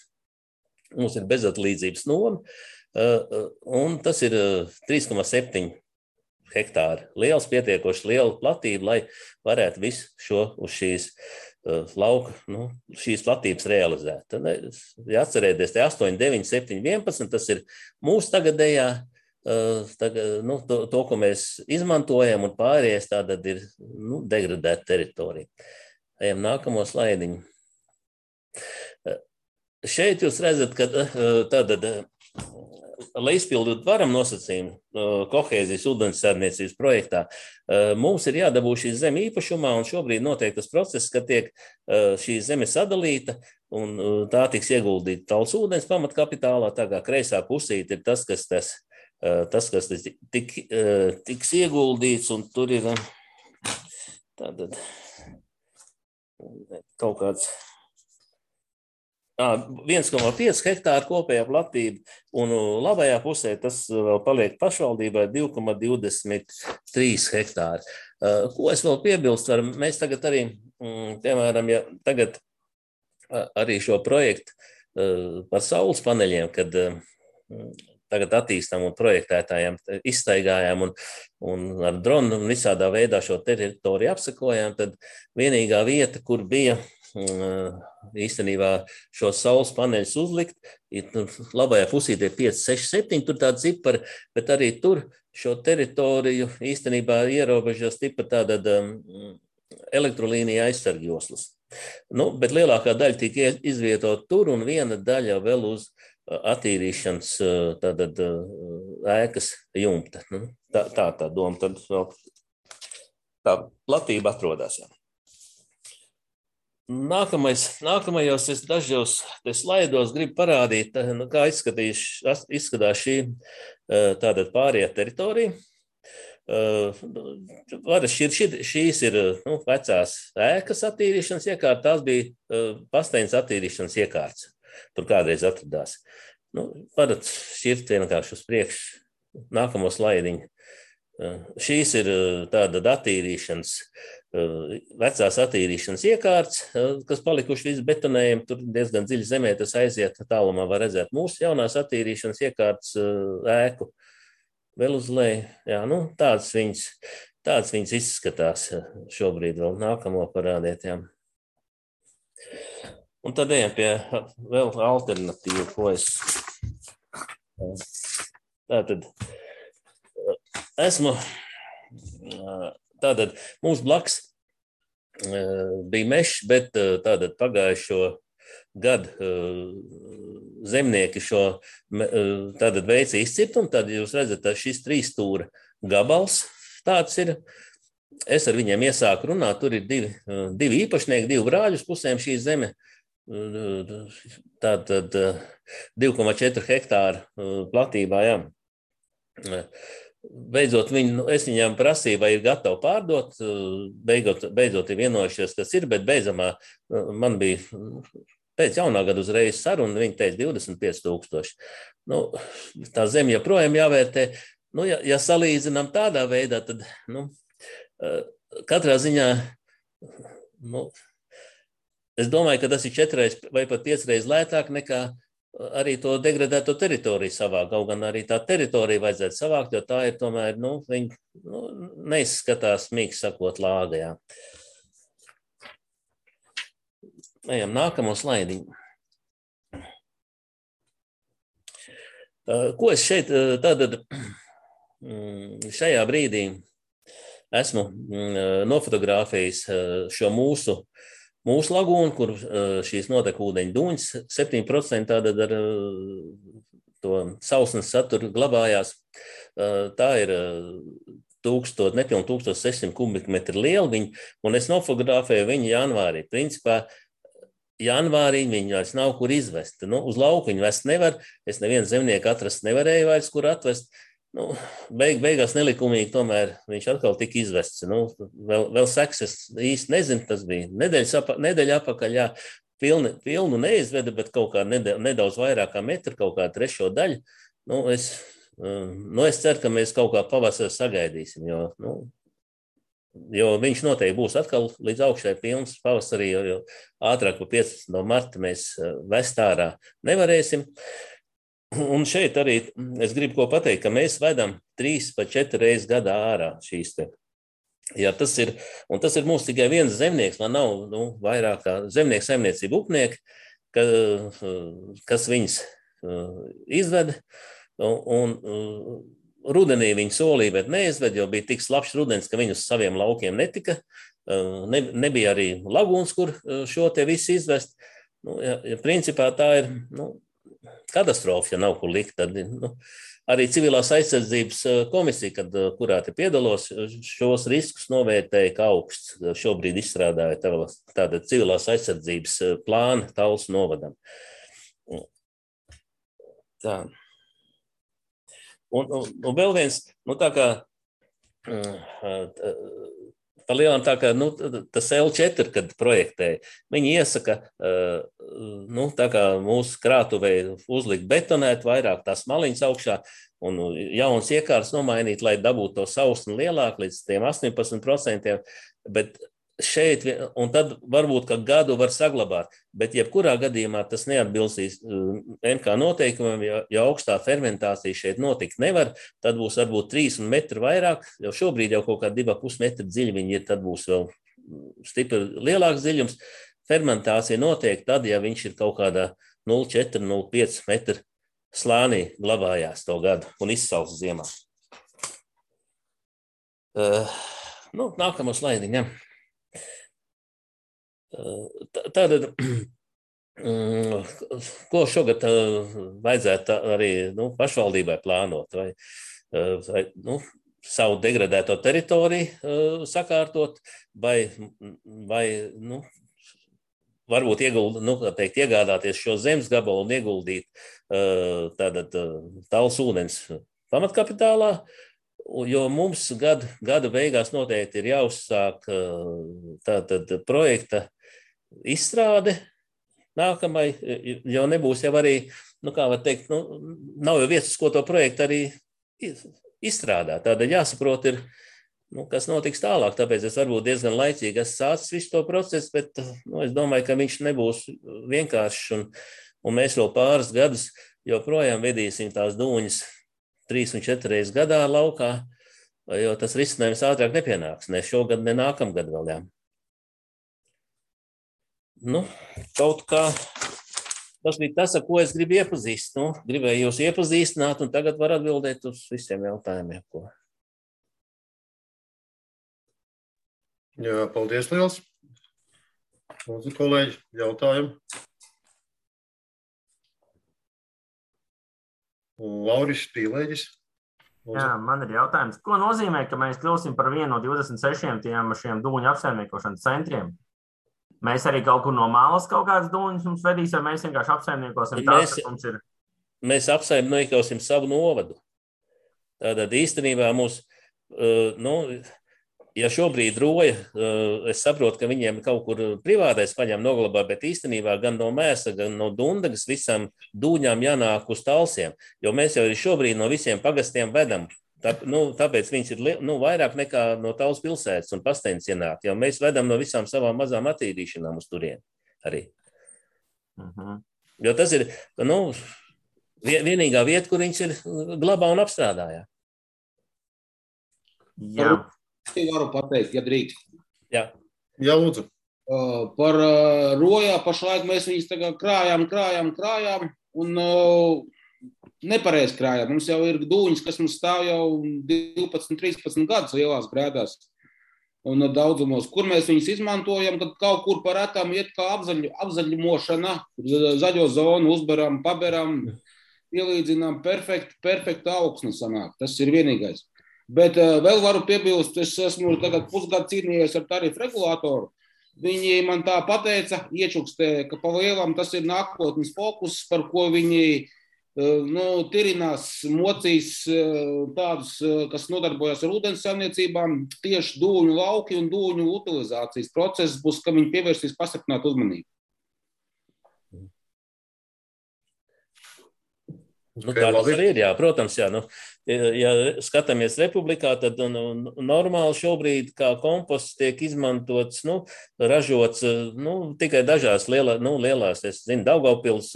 Mums ir bezatlīdzības noma. Un tas ir 3,7 hektāri liels, pietiekoši liela platība, lai varētu visu šo uz šīs lauka, šīs platības realizēt. Tad, ja atcerēties, te 8, 9, 7, 11, tas ir mūsu tagadējā, to, ko mēs izmantojam, un pārējais tātad ir degradēta teritorija. Ejam nākamo slaidiņu. Šeit jūs redzat, ka tātad, lai izpildītu varam nosacījumu kohēzijas ūdenssaimniecības projektā, mums ir jādabū šī zeme īpašumā, un šobrīd notiek tas process, ka tiek šī zeme sadalīta, un tā tiks ieguldīta Talsu ūdens pamatkapitālā, tā kā kreisā pusīte ir tas, kas tiks ieguldīts, un tur ir tātad kaut kāds 1,5 hektāru kopējā platība, un labajā pusē tas vēl paliek pašvaldībai 2,23 hektāri. Ko es vēl piebilstu? Mēs tagad arī, piemēram, ja tagad arī šo projektu par saules paneļiem, kad tagad attīstām un projektētājiem izstaigājām un ar dronu un visādā veidā šo teritoriju apsekojām, tad vienīgā vieta, kur bija īstenībā šos saules paneļus uzlikt, labajā pusītē 5, 6, 7, tur tāda cipari, bet arī tur šo teritoriju īstenībā ierobežos tipa tāda elektrolīnija aizsargjoslas. Bet lielākā daļa tika izvietot tur un viena daļa vēl uz attīrīšanas tātad ēkas jumta. Tā doma, tad tā platība atrodās. Nākamajos es dažos slaidos gribu parādīt, kā izskatās šī tātad pārējā teritorija. Šīs ir vecās ēkas attīrīšanas iekārtas, tās bija pastaiņas attīrīšanas iekārtas. Tur kādreiz atradās. Varat šķirt vienkārši uz priekšu nākamo slaidiņu. Šīs ir tāda attīrīšanas, vecās attīrīšanas iekārtas, kas palikuši visi betonējumi, tur diezgan dziļi zemē tas aiziet, tālumā var redzēt mūsu jaunās attīrīšanas iekārtas ēku. Vēl uz leju, jā, tāds viņas izskatās šobrīd vēl nākamo parādiet, jā. Un tad ejam pie vēl alternatīvu, ko es tātad tātad mums blaks bija mežs, bet tātad pagājušo gadu zemnieki šo tātad veica izcirtumu, tad jūs redzat, ka šis 3 stūra gabals tāds ir. Es ar viņiem iesāku runāt, tur ir divi īpašnieki, 2 brāļus pusēm šī zeme. Tātad 2,4 hektāru platībā, jā. beidzot es viņām prasīju, vai ir gatavi pārdot, beidzot ir vienojušies, kas ir, bet beidzamā man bija pēc jaunā gada uzreiz saruna, viņi teica 25,000. Nu, tā zeme joprojām jāvērtē. Nu, ja salīdzinām tādā veidā, tad katrā ziņā, es domāju, ka tas ir 4 vai pat 5 reizes lētāk nekā arī to degradēto teritoriju savākt. Kaut gan arī tā teritorija vajadzētu savākt, jo tā ir tomēr, viņi neizskatās, mīksti sakot, lāgajā. Ejam nākamo slaidiņu. Ko es šeit tātad šajā brīdī esmu nofotografējis šo mūsu lagūnu, kur šīs notekūdeņu dūņas 7% tātad ar to sausnes saturu glabājās. Tā ir nepilni 1600 kubikmetri liela viņa, un es nofotografēju viņu janvārī. Principā janvārī viņi vairs nav kur izvest. Uz lauku viņu vest nevar, es nevienu zemnieku atrast nevarēju vairs, kur atvest. Beigās nelikumīgi tomēr viņš atkal tika izvests. Vēl seks es īsti nezinu, tas bija nedēļa apakaļ, jā, pilnu neizveda, bet kaut kā nedaudz vairāk kā metru, kaut kā 3. daļu. Es ceru, ka mēs kaut kā pavasarī sagaidīsim, jo viņš noteikti būs atkal līdz augšai pilns pavasarī, jo ātrāk pa 15. marta mēs vest ārā nevarēsim. Un šeit arī es gribu ko pateikt, ka mēs vedam 3 vai 4 reizes gadā ārā šīs te. Jā, tas ir mums tikai viens zemnieks, man nav vairāk kā zemnieku saimniecība upnieki, kas viņas izveda. Un rudenī viņi solīja, bet neizved, jo bija tik slapjš rudens, ka viņi uz saviem laukiem netika. Nebija arī lagūns, kur šo te visu izvest. Principā tā ir katastrofa, ja nav kur likt. Tad, arī civilās aizsardzības komisija, kurā te piedalos, šos riskus novērtēja kā augsts. Šobrīd izstrādāja tāda civilās aizsardzības plāna Talsu novadam. Tā. Un vēl viens, tā kā palielam tā kā, tas L4, kad projektēja, viņi iesaka, tā kā mūsu krātuvei uzlikt betonēt vairāk tās maliņas augšā un jauns iekārs nomainīt, lai dabūtu to sausni lielāk līdz tiem 18%, bet šeit, un tad varbūt, ka gadu var saglabāt, bet jebkurā gadījumā tas neatbilstīs MK noteikumiem, ja augstā fermentācija šeit notikt nevar, tad būs varbūt 3 metru vairāk, jo šobrīd jau kaut kā 2,5 metru dziļi viņi ir, tad būs vēl stipri lielāks dziļums. Fermentācija notiek tad, ja viņš ir kaut kādā 0,4, 0,5 metru slānī glabājās to gadu un izsals ziemā. Nākamo slaidiņu, ja. Tātad, ko šogad vajadzētu arī pašvaldībai plānot, vai savu degradēto teritoriju sakārtot, vai varbūt iegādāties šo zemes gabalu un ieguldīt Talsu ūdens pamatkapitālā, jo mums gada beigās noteikti ir jāuzsāk projekta izstrāde nākamai, jo nebūs jau arī, kā var teikt, nav jau vietas, ko to projektu arī izstrādāt. Tādēļ jāsaprot ir, kas notiks tālāk, tāpēc es varbūt diezgan laicīgi esmu sācis visu to procesu, bet es domāju, ka viņš nebūs vienkāršs un mēs vēl pāris gadus joprojām vedīsim tās dūņas 3 un 4 reizes gadā laukā, jo tas risinājums ātrāk nepienāks, ne šogad, ne nākamgad vēl, jā. Kaut kā tas bija tas, ar ko es gribu iepazīstināt. Gribēju jūs iepazīstināt, un tagad var atbildēt uz visiem jautājumiem, ko. Jā, paldies liels. Lūdzu, kolēģi, jautājumi. Lauris Pīlēģis. Jā, man ir jautājums. Ko nozīmē, ka mēs kļūsim par vienu no 26 šiem dūņu apsaimniekošanas centriem? Mēs arī kaut kur no malas kaut kādas dūņas mums vedīs, vai mēs vienkārši apsaimniekosim tās, kas mums ir? Mēs apsaimniekosim savu novadu. Tātad īstenībā mums, ja šobrīd roja, es saprotu, ka viņiem kaut kur privātais paņem noglabā, bet īstenībā gan no Mērsa, gan no Dundagas visam dūņām jānāk uz Talsiem, jo mēs jau šobrīd no visiem pagastiem vedam. Tāpēc viņš ir vairāk nekā no Tals pilsētas un Pasteņas ienāk, jo mēs vedam no visām savām mazām attīrīšanām uz turien arī. Jo tas ir vienīgā vieta, kur viņš ir glabā un apstrādājā. Jā. Varu pateikt, ja drīkst. Jā, lūdzu. Par rojā pašlaik mēs viņus tagad krājām un nepareiz krājām. Mums jau ir dūņas, kas mums stāv jau 12-13 gadus lielās grēdās un daudzumos. Kur mēs viņus izmantojam, kad kaut kur par retām iet kā apzaļumošana, zaļo zonu uzberam, paberam, ielīdzinām, perfekta augsne sanāk. Tas ir vienīgais. Bet vēl varu piebilst, es esmu tagad pusgadu cīnījies ar tarifu regulātoru. Viņi man tā pateica, iečukstē, ka pa lielam tas ir nākotnes fokus, par ko viņi tirinās, mocīs tādus, kas nodarbojas ar ūdens saimniecībām, tieši dūņu lauki un dūņu utilizācijas process būs, ka viņi pievērsīs pastiprinātu uzmanību. Tā tas arī ir, jā, protams, jā. Ja skatāmies republikā, tad normāli šobrīd kā komposts tiek izmantots, ražots, tikai dažās lielās, es zinu, Daugavpils,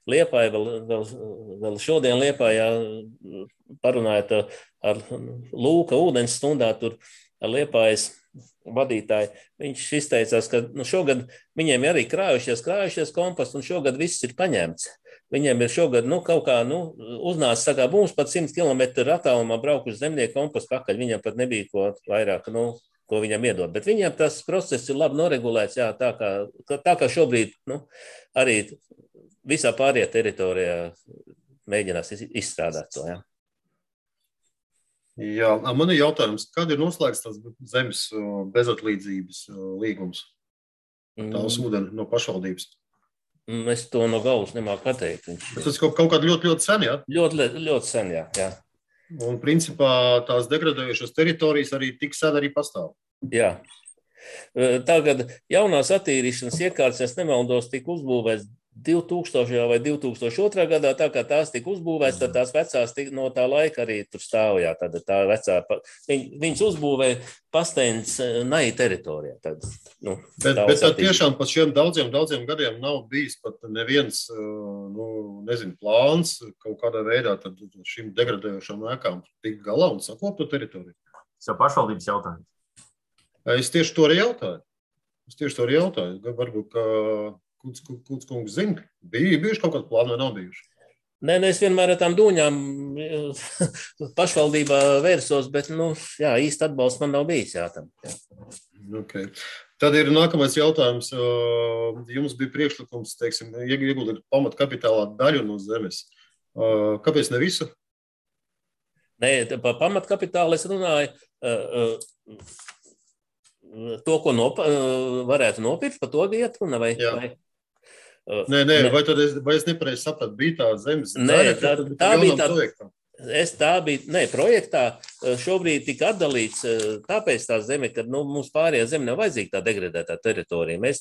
Liepāja, vēl šodien Liepājā parunājot ar Lūka ūdens stundā tur ar Liepājas vadītāju. Viņš izteicās, ka šogad viņiem arī krājušies komposts un šogad viss ir paņemts. Viņiem ir šogad kaut kā uznāca, saka, mums pat 100 km attālumā braukt uz zemnieku kompostu pakaļ. Viņam pat nebija ko vairāk, ko viņam iedot. Bet viņam tas process ir labi noregulēts, jā, tā kā šobrīd arī visā pārējā teritorijā mēģinās izstrādāt to. Jā. Jā, man ir jautājums, kad ir noslēgts tas zemes bezatlīdzības līgums? Tās ūdeni no pašvaldības. Es to no galvas nemāku pateikt. Tas kaut kādā ļoti sen, jā? Ļoti sen, jā. Un principā tās degradējušās teritorijas arī tik sen arī pastāv. Jā. Tagad jaunās attīrīšanas iekārtas, es nemaldos, tika uzbūvēts 2000. vai 2002. gadā, tā kā tās tika uzbūvēts, tad tās vecās no tā laika arī tur stāvjā. Tad tā vecā, viņas uzbūvēja Pasteņas nai teritorijā. Bet tad tiešām pat šiem daudziem gadiem nav bijis pat neviens, plāns kaut kādā veidā tad šīm degradējošām ēkām tikt galā un sakot to teritoriju. Tas jau pašvaldības jautājums. Es tieši to arī jautāju. Varbūt, ka Kuds kungs zina, bijuši kaut kādi plāni vai nav bijuši? Nē, es vienmēr ar tām dūņām pašvaldībā vērsos, bet, īsti atbalsts man nav bijis, jā, tam. Jā. Okay. Tad ir nākamais jautājums. Jums bija priekšlikums, ieguldīt pamatkapitālā daļu no zemes. Kāpēc ne visu? Nē, par pamatkapitālu es runāju to, ko varētu nopirkt, par to iet runa vai? Nē, vai es nepareizi sapratu, bija tā zemes daļa? Tā bija tā projektā šobrīd tika atdalīts tāpēc tā zeme, ka mums pārējā zeme nav vajadzīga tā degradētā teritorija. Mēs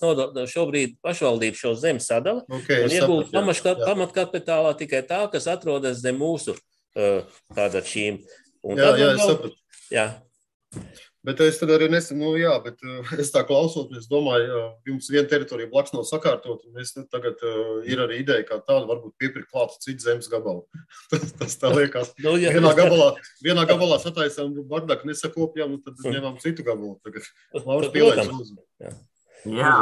šobrīd pašvaldību šo zemi sadala un iegūt pamatkapitālā tikai tā, kas atrodas zem mūsu tātad šīm. Es sapratu. Jā. Bet es tad arī bet es tā klausoties, domāju, jums viena teritorija blakus nav sakārtot, un es tagad ir arī ideja, kā tāda varbūt piepirkt klātu citu zemes gabalu. Tas tā liekas. Vienā gabalā sataisām bardaku nesakopjām, un tad ņemām citu gabalu. Tagad Lauris pielaiks lūdzu. Jā,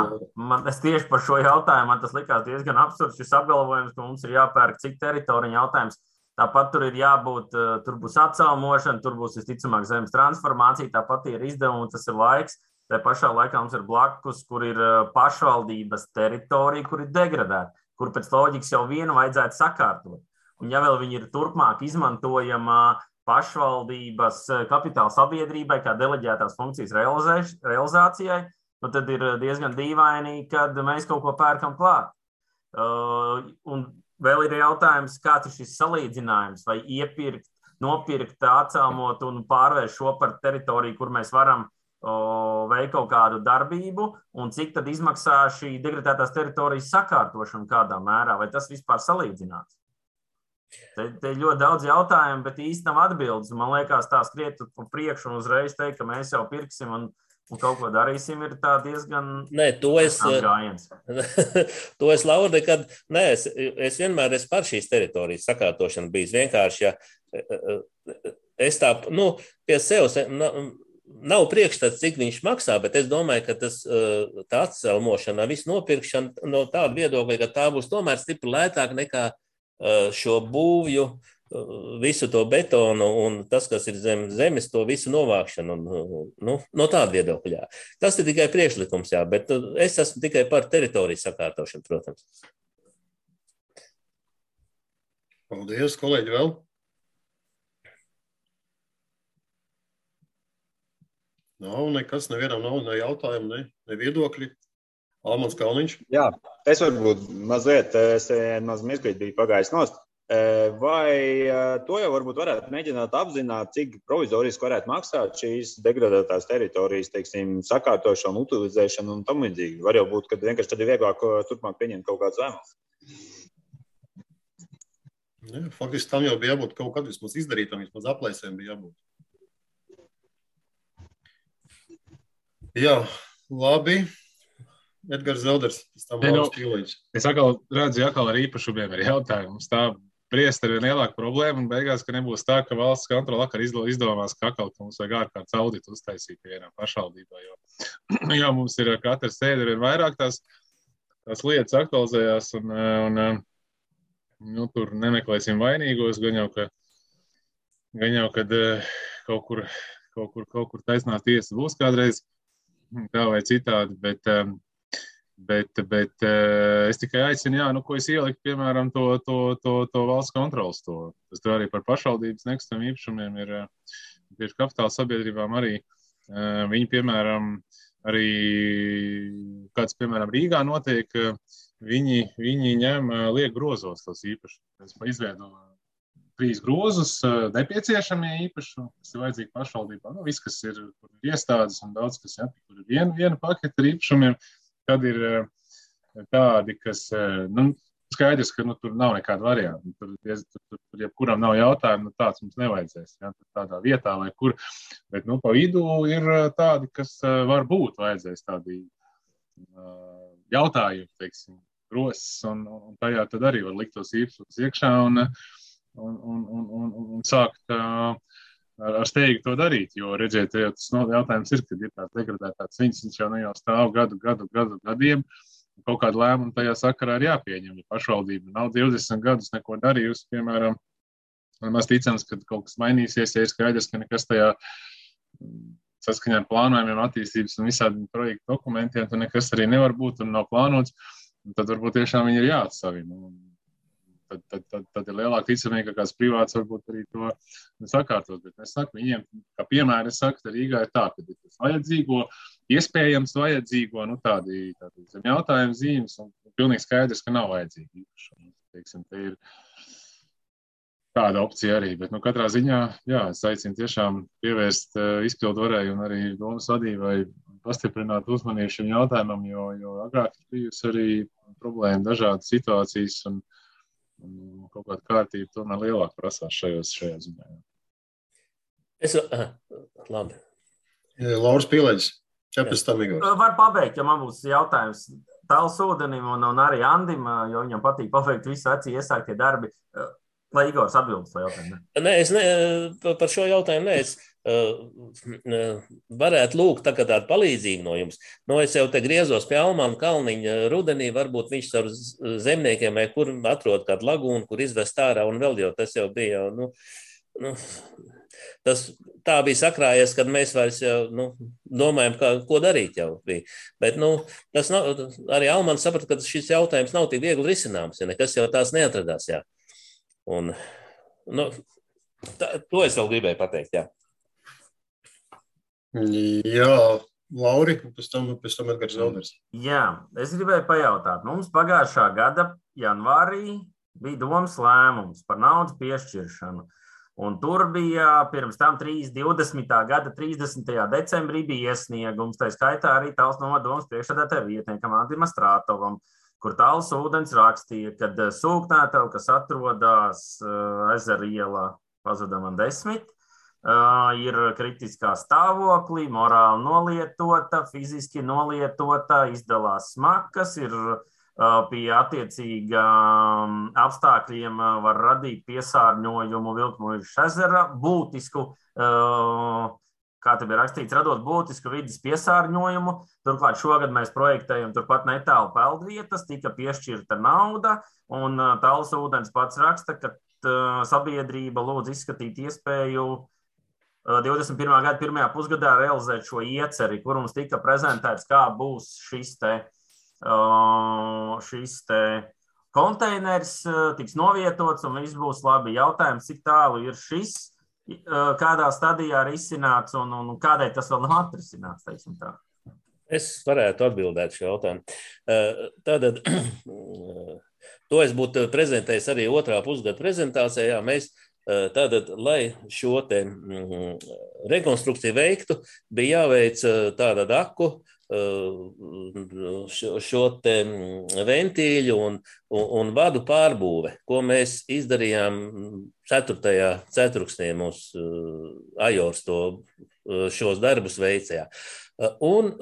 es tieši par šo jautājumu, man tas likās diezgan absurds, šis apgalvojums, ka mums ir jāpērk cik teritorija jautājums. Tāpat tur ir jābūt, tur būs atcelmošana, tur būs visticamāk zemes transformācija, tāpat ir izdevumi, tas ir laiks. Tā pašā laikā mums ir blakus, kur ir pašvaldības teritorija, kur ir degradēta, kur pēc loģikas jau vienu vajadzētu sakārtot. Un ja vēl viņi ir turpmāk izmantojama pašvaldības kapitāla sabiedrībai kā deleģētās funkcijas realizācijai, tad ir diezgan dīvaini, kad mēs kaut ko pērkam klāt. Un vēl ir jautājums, kāds ir šis salīdzinājums, vai iepirkt nopirkt, atcelmot un pārvērst šo par teritoriju, kur mēs varam veikt kaut kādu darbību, un cik tad izmaksā šī degradētās teritorijas sakārtošana kādā mērā, vai tas vispār salīdzināts? Te ir ļoti daudz jautājumu, bet īsti nav atbildes. Man liekas, tā skriet pa priekšu un uzreiz teikt, ka mēs jau pirksim un kaut ko darīsim, ir tā diezgan gājiens. To es, Laura, nekad es vienmēr esmu par šīs teritorijas sakārtošanu bijis. Vienkārši, ja es tā, pie sevis nav priekšstats, cik viņš maksā, bet es domāju, ka tā atcelmošana, visu nopirkšana no tāda viedokļa, ka tā būs tomēr stipri lētāk nekā šo būvju, visu to betonu un tas, kas ir zem zemes, to visu novākšanu. No tāda viedokļā. Tas ir tikai priekšlikums, jā, bet es esmu tikai par teritoriju sakārtošanu, protams. Paldies, kolēģi, vēl. Nav nekas, nevienam nav ne jautājumu, ne viedokļi. Almans Kalniņš. Jā, es varbūt mazliet mirklīt biju pagājis nost. Vai to jau varbūt varētu mēģināt apzināt, cik provizoriski varētu maksāt šīs degradētās teritorijas, teiksim, sakārtošanu, utilizēšanu un tam līdzīgi? Var jau būt, ka vienkārši tad ir vieglāk turpmāk pieņemt kaut kādu lēmumu. Faktiski tam jau bija jābūt kaut kad vismaz izdarītam, vismaz aplēsēm bija jābūt. Jā, labi. Edgars Zelders, tas tam Lauris Pīlīģis. Es atkal redzu, ar īpašumiem ir jautājums. Tā briest ar vien lielāku problēmu un beigās, ka nebūs tā, ka valsts kontrola vakar izdomās, ka atkal mums vajag ārkārtas auditu uztaisīt vienā pašvaldībā, jo mums ir katra sēde ir vairāk tās lietas aktualizējās un tur nemeklēsim vainīgos, gan jau, kad kaut kur taisnā tiesa būs kādreiz tā vai citādi, bet es tikai aicinu, ko es ieliku, piemēram, to valsts kontrolas to. Tas tur arī par pašvaldības nekustamiem īpašumiem ir tieši kapitāla sabiedrībām arī. Viņi, piemēram, arī kāds, piemēram, Rīgā notiek, viņi liek grozos tos īpašumus. Es izveido 3 grozus nepieciešamie īpašumi, kas ir vajadzīgi pašvaldībā. Viss, kas ir iestādes un daudz, kas tur ir viena paketa ar īpašumiem. Tad ir tādi, kas, skaidrs, ka tur nav nekāda varianta. Tur jebkuram nav jautājumu, tāds mums nevajadzēs. Tādā vietā vai kur. Bet, pa vidu ir tādi, kas varbūt vajadzēs tādi jautājumi, teiksim, grozs, un tajā tad arī var likt tos īpašumus iekšā un sākt ar steigu to darīt, jo redziet, tas jautājums ir, kad ir tāds degradētāts viņš jau stāv gadiem, kaut kādu lēmumu tajā sakarā ir jāpieņem. Ja pašvaldība nav 20 gadus neko darījusi, piemēram, maz ticams, ka kaut kas mainīsies, ja ir skaidrs, ka nekas tajā saskaņā ar plānojumiem, attīstības un visādiem projektu dokumentiem, tad nekas arī nevar būt un nav plānots, un tad varbūt tiešām viņi ir jāatsavina. Tad ir lielāka ticamība, ka kāds privāts varbūt arī to sakārtot. Bet es saku, viņiem, kā piemēram, es saku, ka Rīgā ir tā, ka ir tas vajadzīgo, iespējams vajadzīgo, tādi zem jautājumu zīmes, un pilnīgi skaidrs, ka nav vajadzīgi īpašumi. Teiksim, te ir tāda opcija arī, bet katrā ziņā, es aicinu tiešām pievērst izpildu varēju un arī domas vadībai pastiprināt uzmanību šim jautājumam, jo agrāk ir bijusi arī problēma dažādas situācijas un kaut kāda kārtība tomēr lielāk prasās šajā ziņā. Labi. Lauris Pīlīģis, 14. Igors. Var pabeigt, ja man būs jautājums Tāls Ūdenim un arī Andim, jo viņam patīk pabeigt visu acī iesāktie darbi. Lai Igors atbildes to jautājumu. Par šo jautājumu es varētu lūgt tādu palīdzību no jums. Es jau te griezos pie Almana Kalniņa rudenī, varbūt viņš ar zemniekiem vai kur atrod kādu lagūnu, kur izvest ārā, un vēl jau tas jau bija tas tā bija sakrājies, kad mēs vairs domājam, ko darīt jau bija. Bet tas nav, arī Almans saprata, ka šis jautājums nav tik viegli risināms, ja nekas jau tās neatradās, jā. Un, to es vēl gribēju pateikt, jā. Jā, Lauri, pēc tam Edgars Zelders. Jā, es gribēju pajautāt. Mums pagājušā gada janvārī bija domas lēmums par naudas piešķiršanu. Un tur bija pirms tam 20. gada 30. decembrī bija iesniegums, tā skaitā arī Tallas novada domas priekšsēdētāja vietniekam Andim Astrātovam, kur Tallas ūdens rakstīja, kad sūknētava, kas atrodas Ezera ielā Pazudama 10, ir kritiskā stāvoklī, morāli nolietota, fiziski nolietota, izdalās smakas, ir pie attiecīgām apstākļiem var radīt piesārņojumu Vilkmuižas ezera, būtisku, kā te bija rakstīts, radot būtisku vidas piesārņojumu. Turklāt šogad mēs projektējam turpat netālu peldvietas, tika piešķirta nauda, un Tallas ūdens pats raksta, ka sabiedrība lūdz izskatīt iespēju 21. gada pirmajā pusgadā realizēt šo ieceri, kur mums tika prezentēts, kā būs šis konteiners tiks novietots un viss būs labi. Jautājums, cik tālu ir šis, kādā stadijā ir izcināts un kādēļ tas vēl nav atrisināts, teiksim tā. Es varētu atbildēt šo jautājumu. Tātad, to es būtu prezentējis arī otrā pusgada prezentācijā. Mēs tātad, lai šo te rekonstrukciju veiktu, bija jāveic tāda aku, šo te ventīļu un vadu pārbūve, ko mēs izdarījām 4. ceturksnī mūsu Ajors šos darbus veicējā. Un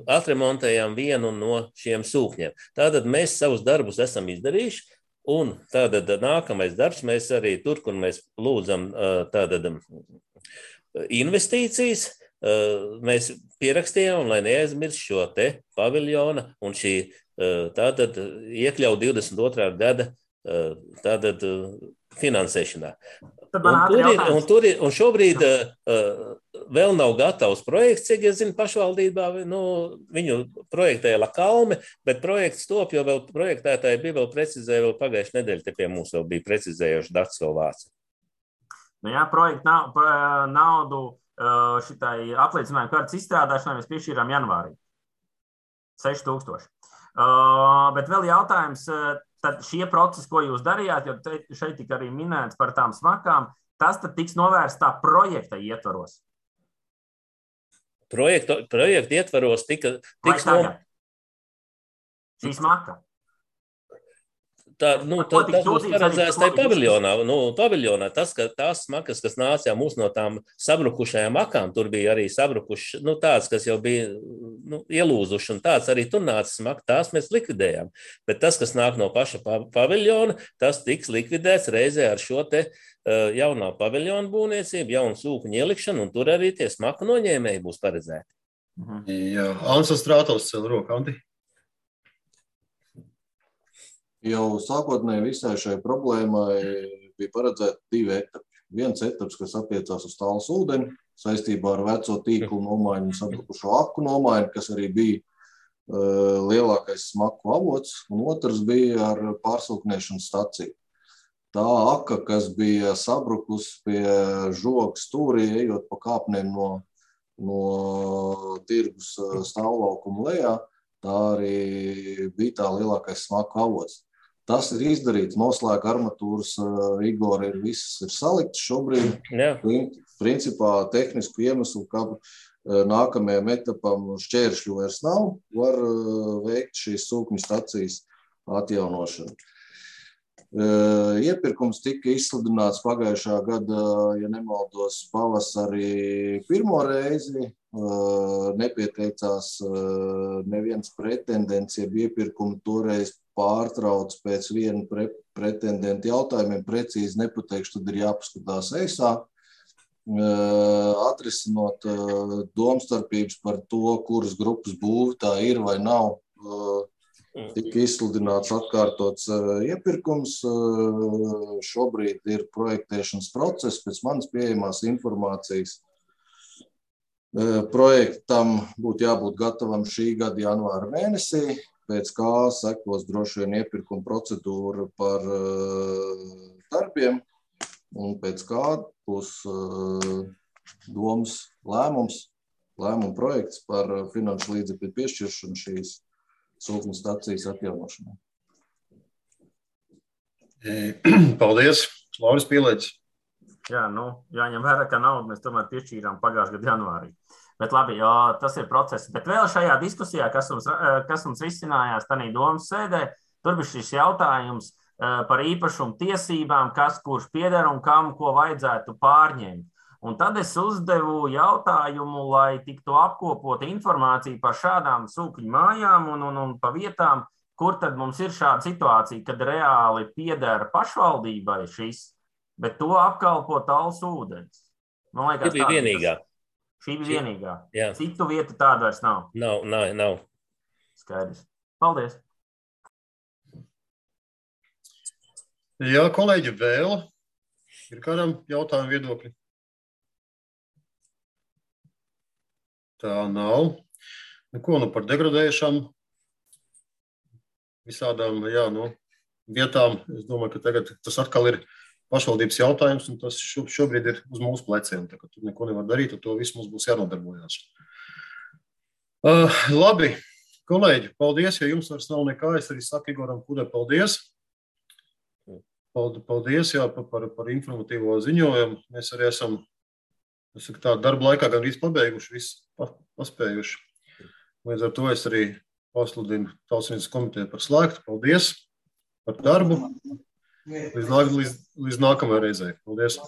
atremontējām vienu no šiem sūkņiem. Tātad mēs savus darbus esam izdarījuši, un tātad nākamais darbs mēs arī tur, kur mēs lūdzam tātad investīcijas, mēs pierakstījām, lai neaizmirst šo te paviljona un šī tātad iekļaut 22. gada tātad finansēšanā. Un šobrīd vēl nav gatavs projekts, cik es zinu, pašvaldībā, viņu projektēja Lakalme, bet projekts top, jo vēl projektētāji bija vēl precizēja, vēl pagājušajā nedēļa te pie mums vēl bija precizējuši dats vēl vāci. Jā, projekta naudu šitai apliecinājumu kārtas izstrādāšanai mēs piešķīrām janvārī. 6000. Bet vēl jautājums, tad šie procesi, ko jūs darījāt, jo šeit tika arī minēts par tām smakām, tas tad tiks novērsts tā projekta ietvaros? Projekta ietvaros tiks šī smaka? Tas būs paredzēts tajā paviljonā. Tās smakas, kas nāca jau mūs no tām sabrukušajām akām, tur bija arī sabrukuši, tāds, kas jau bija ielūzuši, un tāds arī tur nāca smaka, tās mēs likvidējām. Bet tas, kas nāk no paša paviljona, tas tiks likvidēts reizē ar šo te jaunā paviljona būvniecību, jaunu sūkņu ielikšanu, un tur arī tie smaku noņēmēji būs paredzēti. Jā, Ants Astrātovs cel roku, Anti. Jau sākotnēji visai šai problēmai bija paredzēti 2 etapi. Viens etaps, kas attiecās uz Tallas ūdeni, saistībā ar veco tīklu nomaiņu un sabrukušo aku nomaiņu, kas arī bija lielākais smaku avots, un otrs bija ar pārsūkņēšanas staciju. Tā aka, kas bija sabrukus pie žogas stūrī, ejot pa kāpnēm no tirgus stāvlaukuma lejā, tā arī bija tā lielākais smaku avots. Tas ir izdarīts, noslēga armatūras, rigori viss ir salikts šobrīd. Jā. Principā tehnisku iemeslu, ka nākamajam etapam šķēršļu vairs nav, var veikt šīs sūkņu stacijas atjaunošanu. Iepirkums tika izsludināts pagājušā gada, ja nemaldos, pavasarī pirmo reizi. Nepieteicās neviens pretendents, jeb iepirkumu toreiz pārtrauc pēc viena pretendenta jautājumiem, precīzi nepateikšu, tad ir jāpaskatās eisā, atrisinot domstarpības par to, kuras grupas būvi tā ir vai nav. Tika izsludināts atkārtots iepirkums, šobrīd ir projektēšanas process, pēc manas pieejamās informācijas. Projektam būtu jābūt gatavam šī gada janvāra mēnesī, pēc kā sekos droši vien iepirkuma procedūra par darbiem, un pēc kā būs domas lēmuma projekts par finanšu līdzekļu piešķiršanu šīs sūkņu stacijas atjaunošanai. Paldies, Lauris Pīlēķis. Jā, jāņem vērā, ka naudu mēs tomēr piešķīrām pagājušā gada janvārī. Bet labi, tas ir process. Bet vēl šajā diskusijā, kas mums risinājās tādā domas sēdē, tur bija šis jautājums par īpašumu tiesībām, kas kurš pieder un kam ko vajadzētu pārņemt. Un tad es uzdevu jautājumu, lai tiktu apkopota informācija par šādām sūkņu mājām un pa vietām, kur tad mums ir šāda situācija, kad reāli pieder pašvaldībai šis, bet to apkalpo Tallas ūdens. Man liekas, šī bija vienīgā. Šī bija vienīgā. Jā. Citu vietu tāda vairs nav. Nav. Skaidrs. Paldies. Jā, kolēģi, vēl ir kādam jautājumu viedokļi? Tā nav. Ko par degradējušām visādām vietām? Es domāju, ka tagad tas atkal ir pašvaldības jautājums, un tas šobrīd ir uz mūsu pleciem. Tā kā tur neko nevar darīt, ar to visu mums būs jānodarbojās. Labi, kolēģi, paldies, ja jums vairs nav nekā. Es arī saku Igoram Kudai paldies. Paldies par informatīvo ziņojumu. Mēs arī esam darba laikā gandrīz pabeiguši, visu paspējuši. Līdz ar to es arī pasludinu Tautssaimniecības komiteju par slēgtu. Paldies par darbu. Līdz nākamajai reizei. Paldies.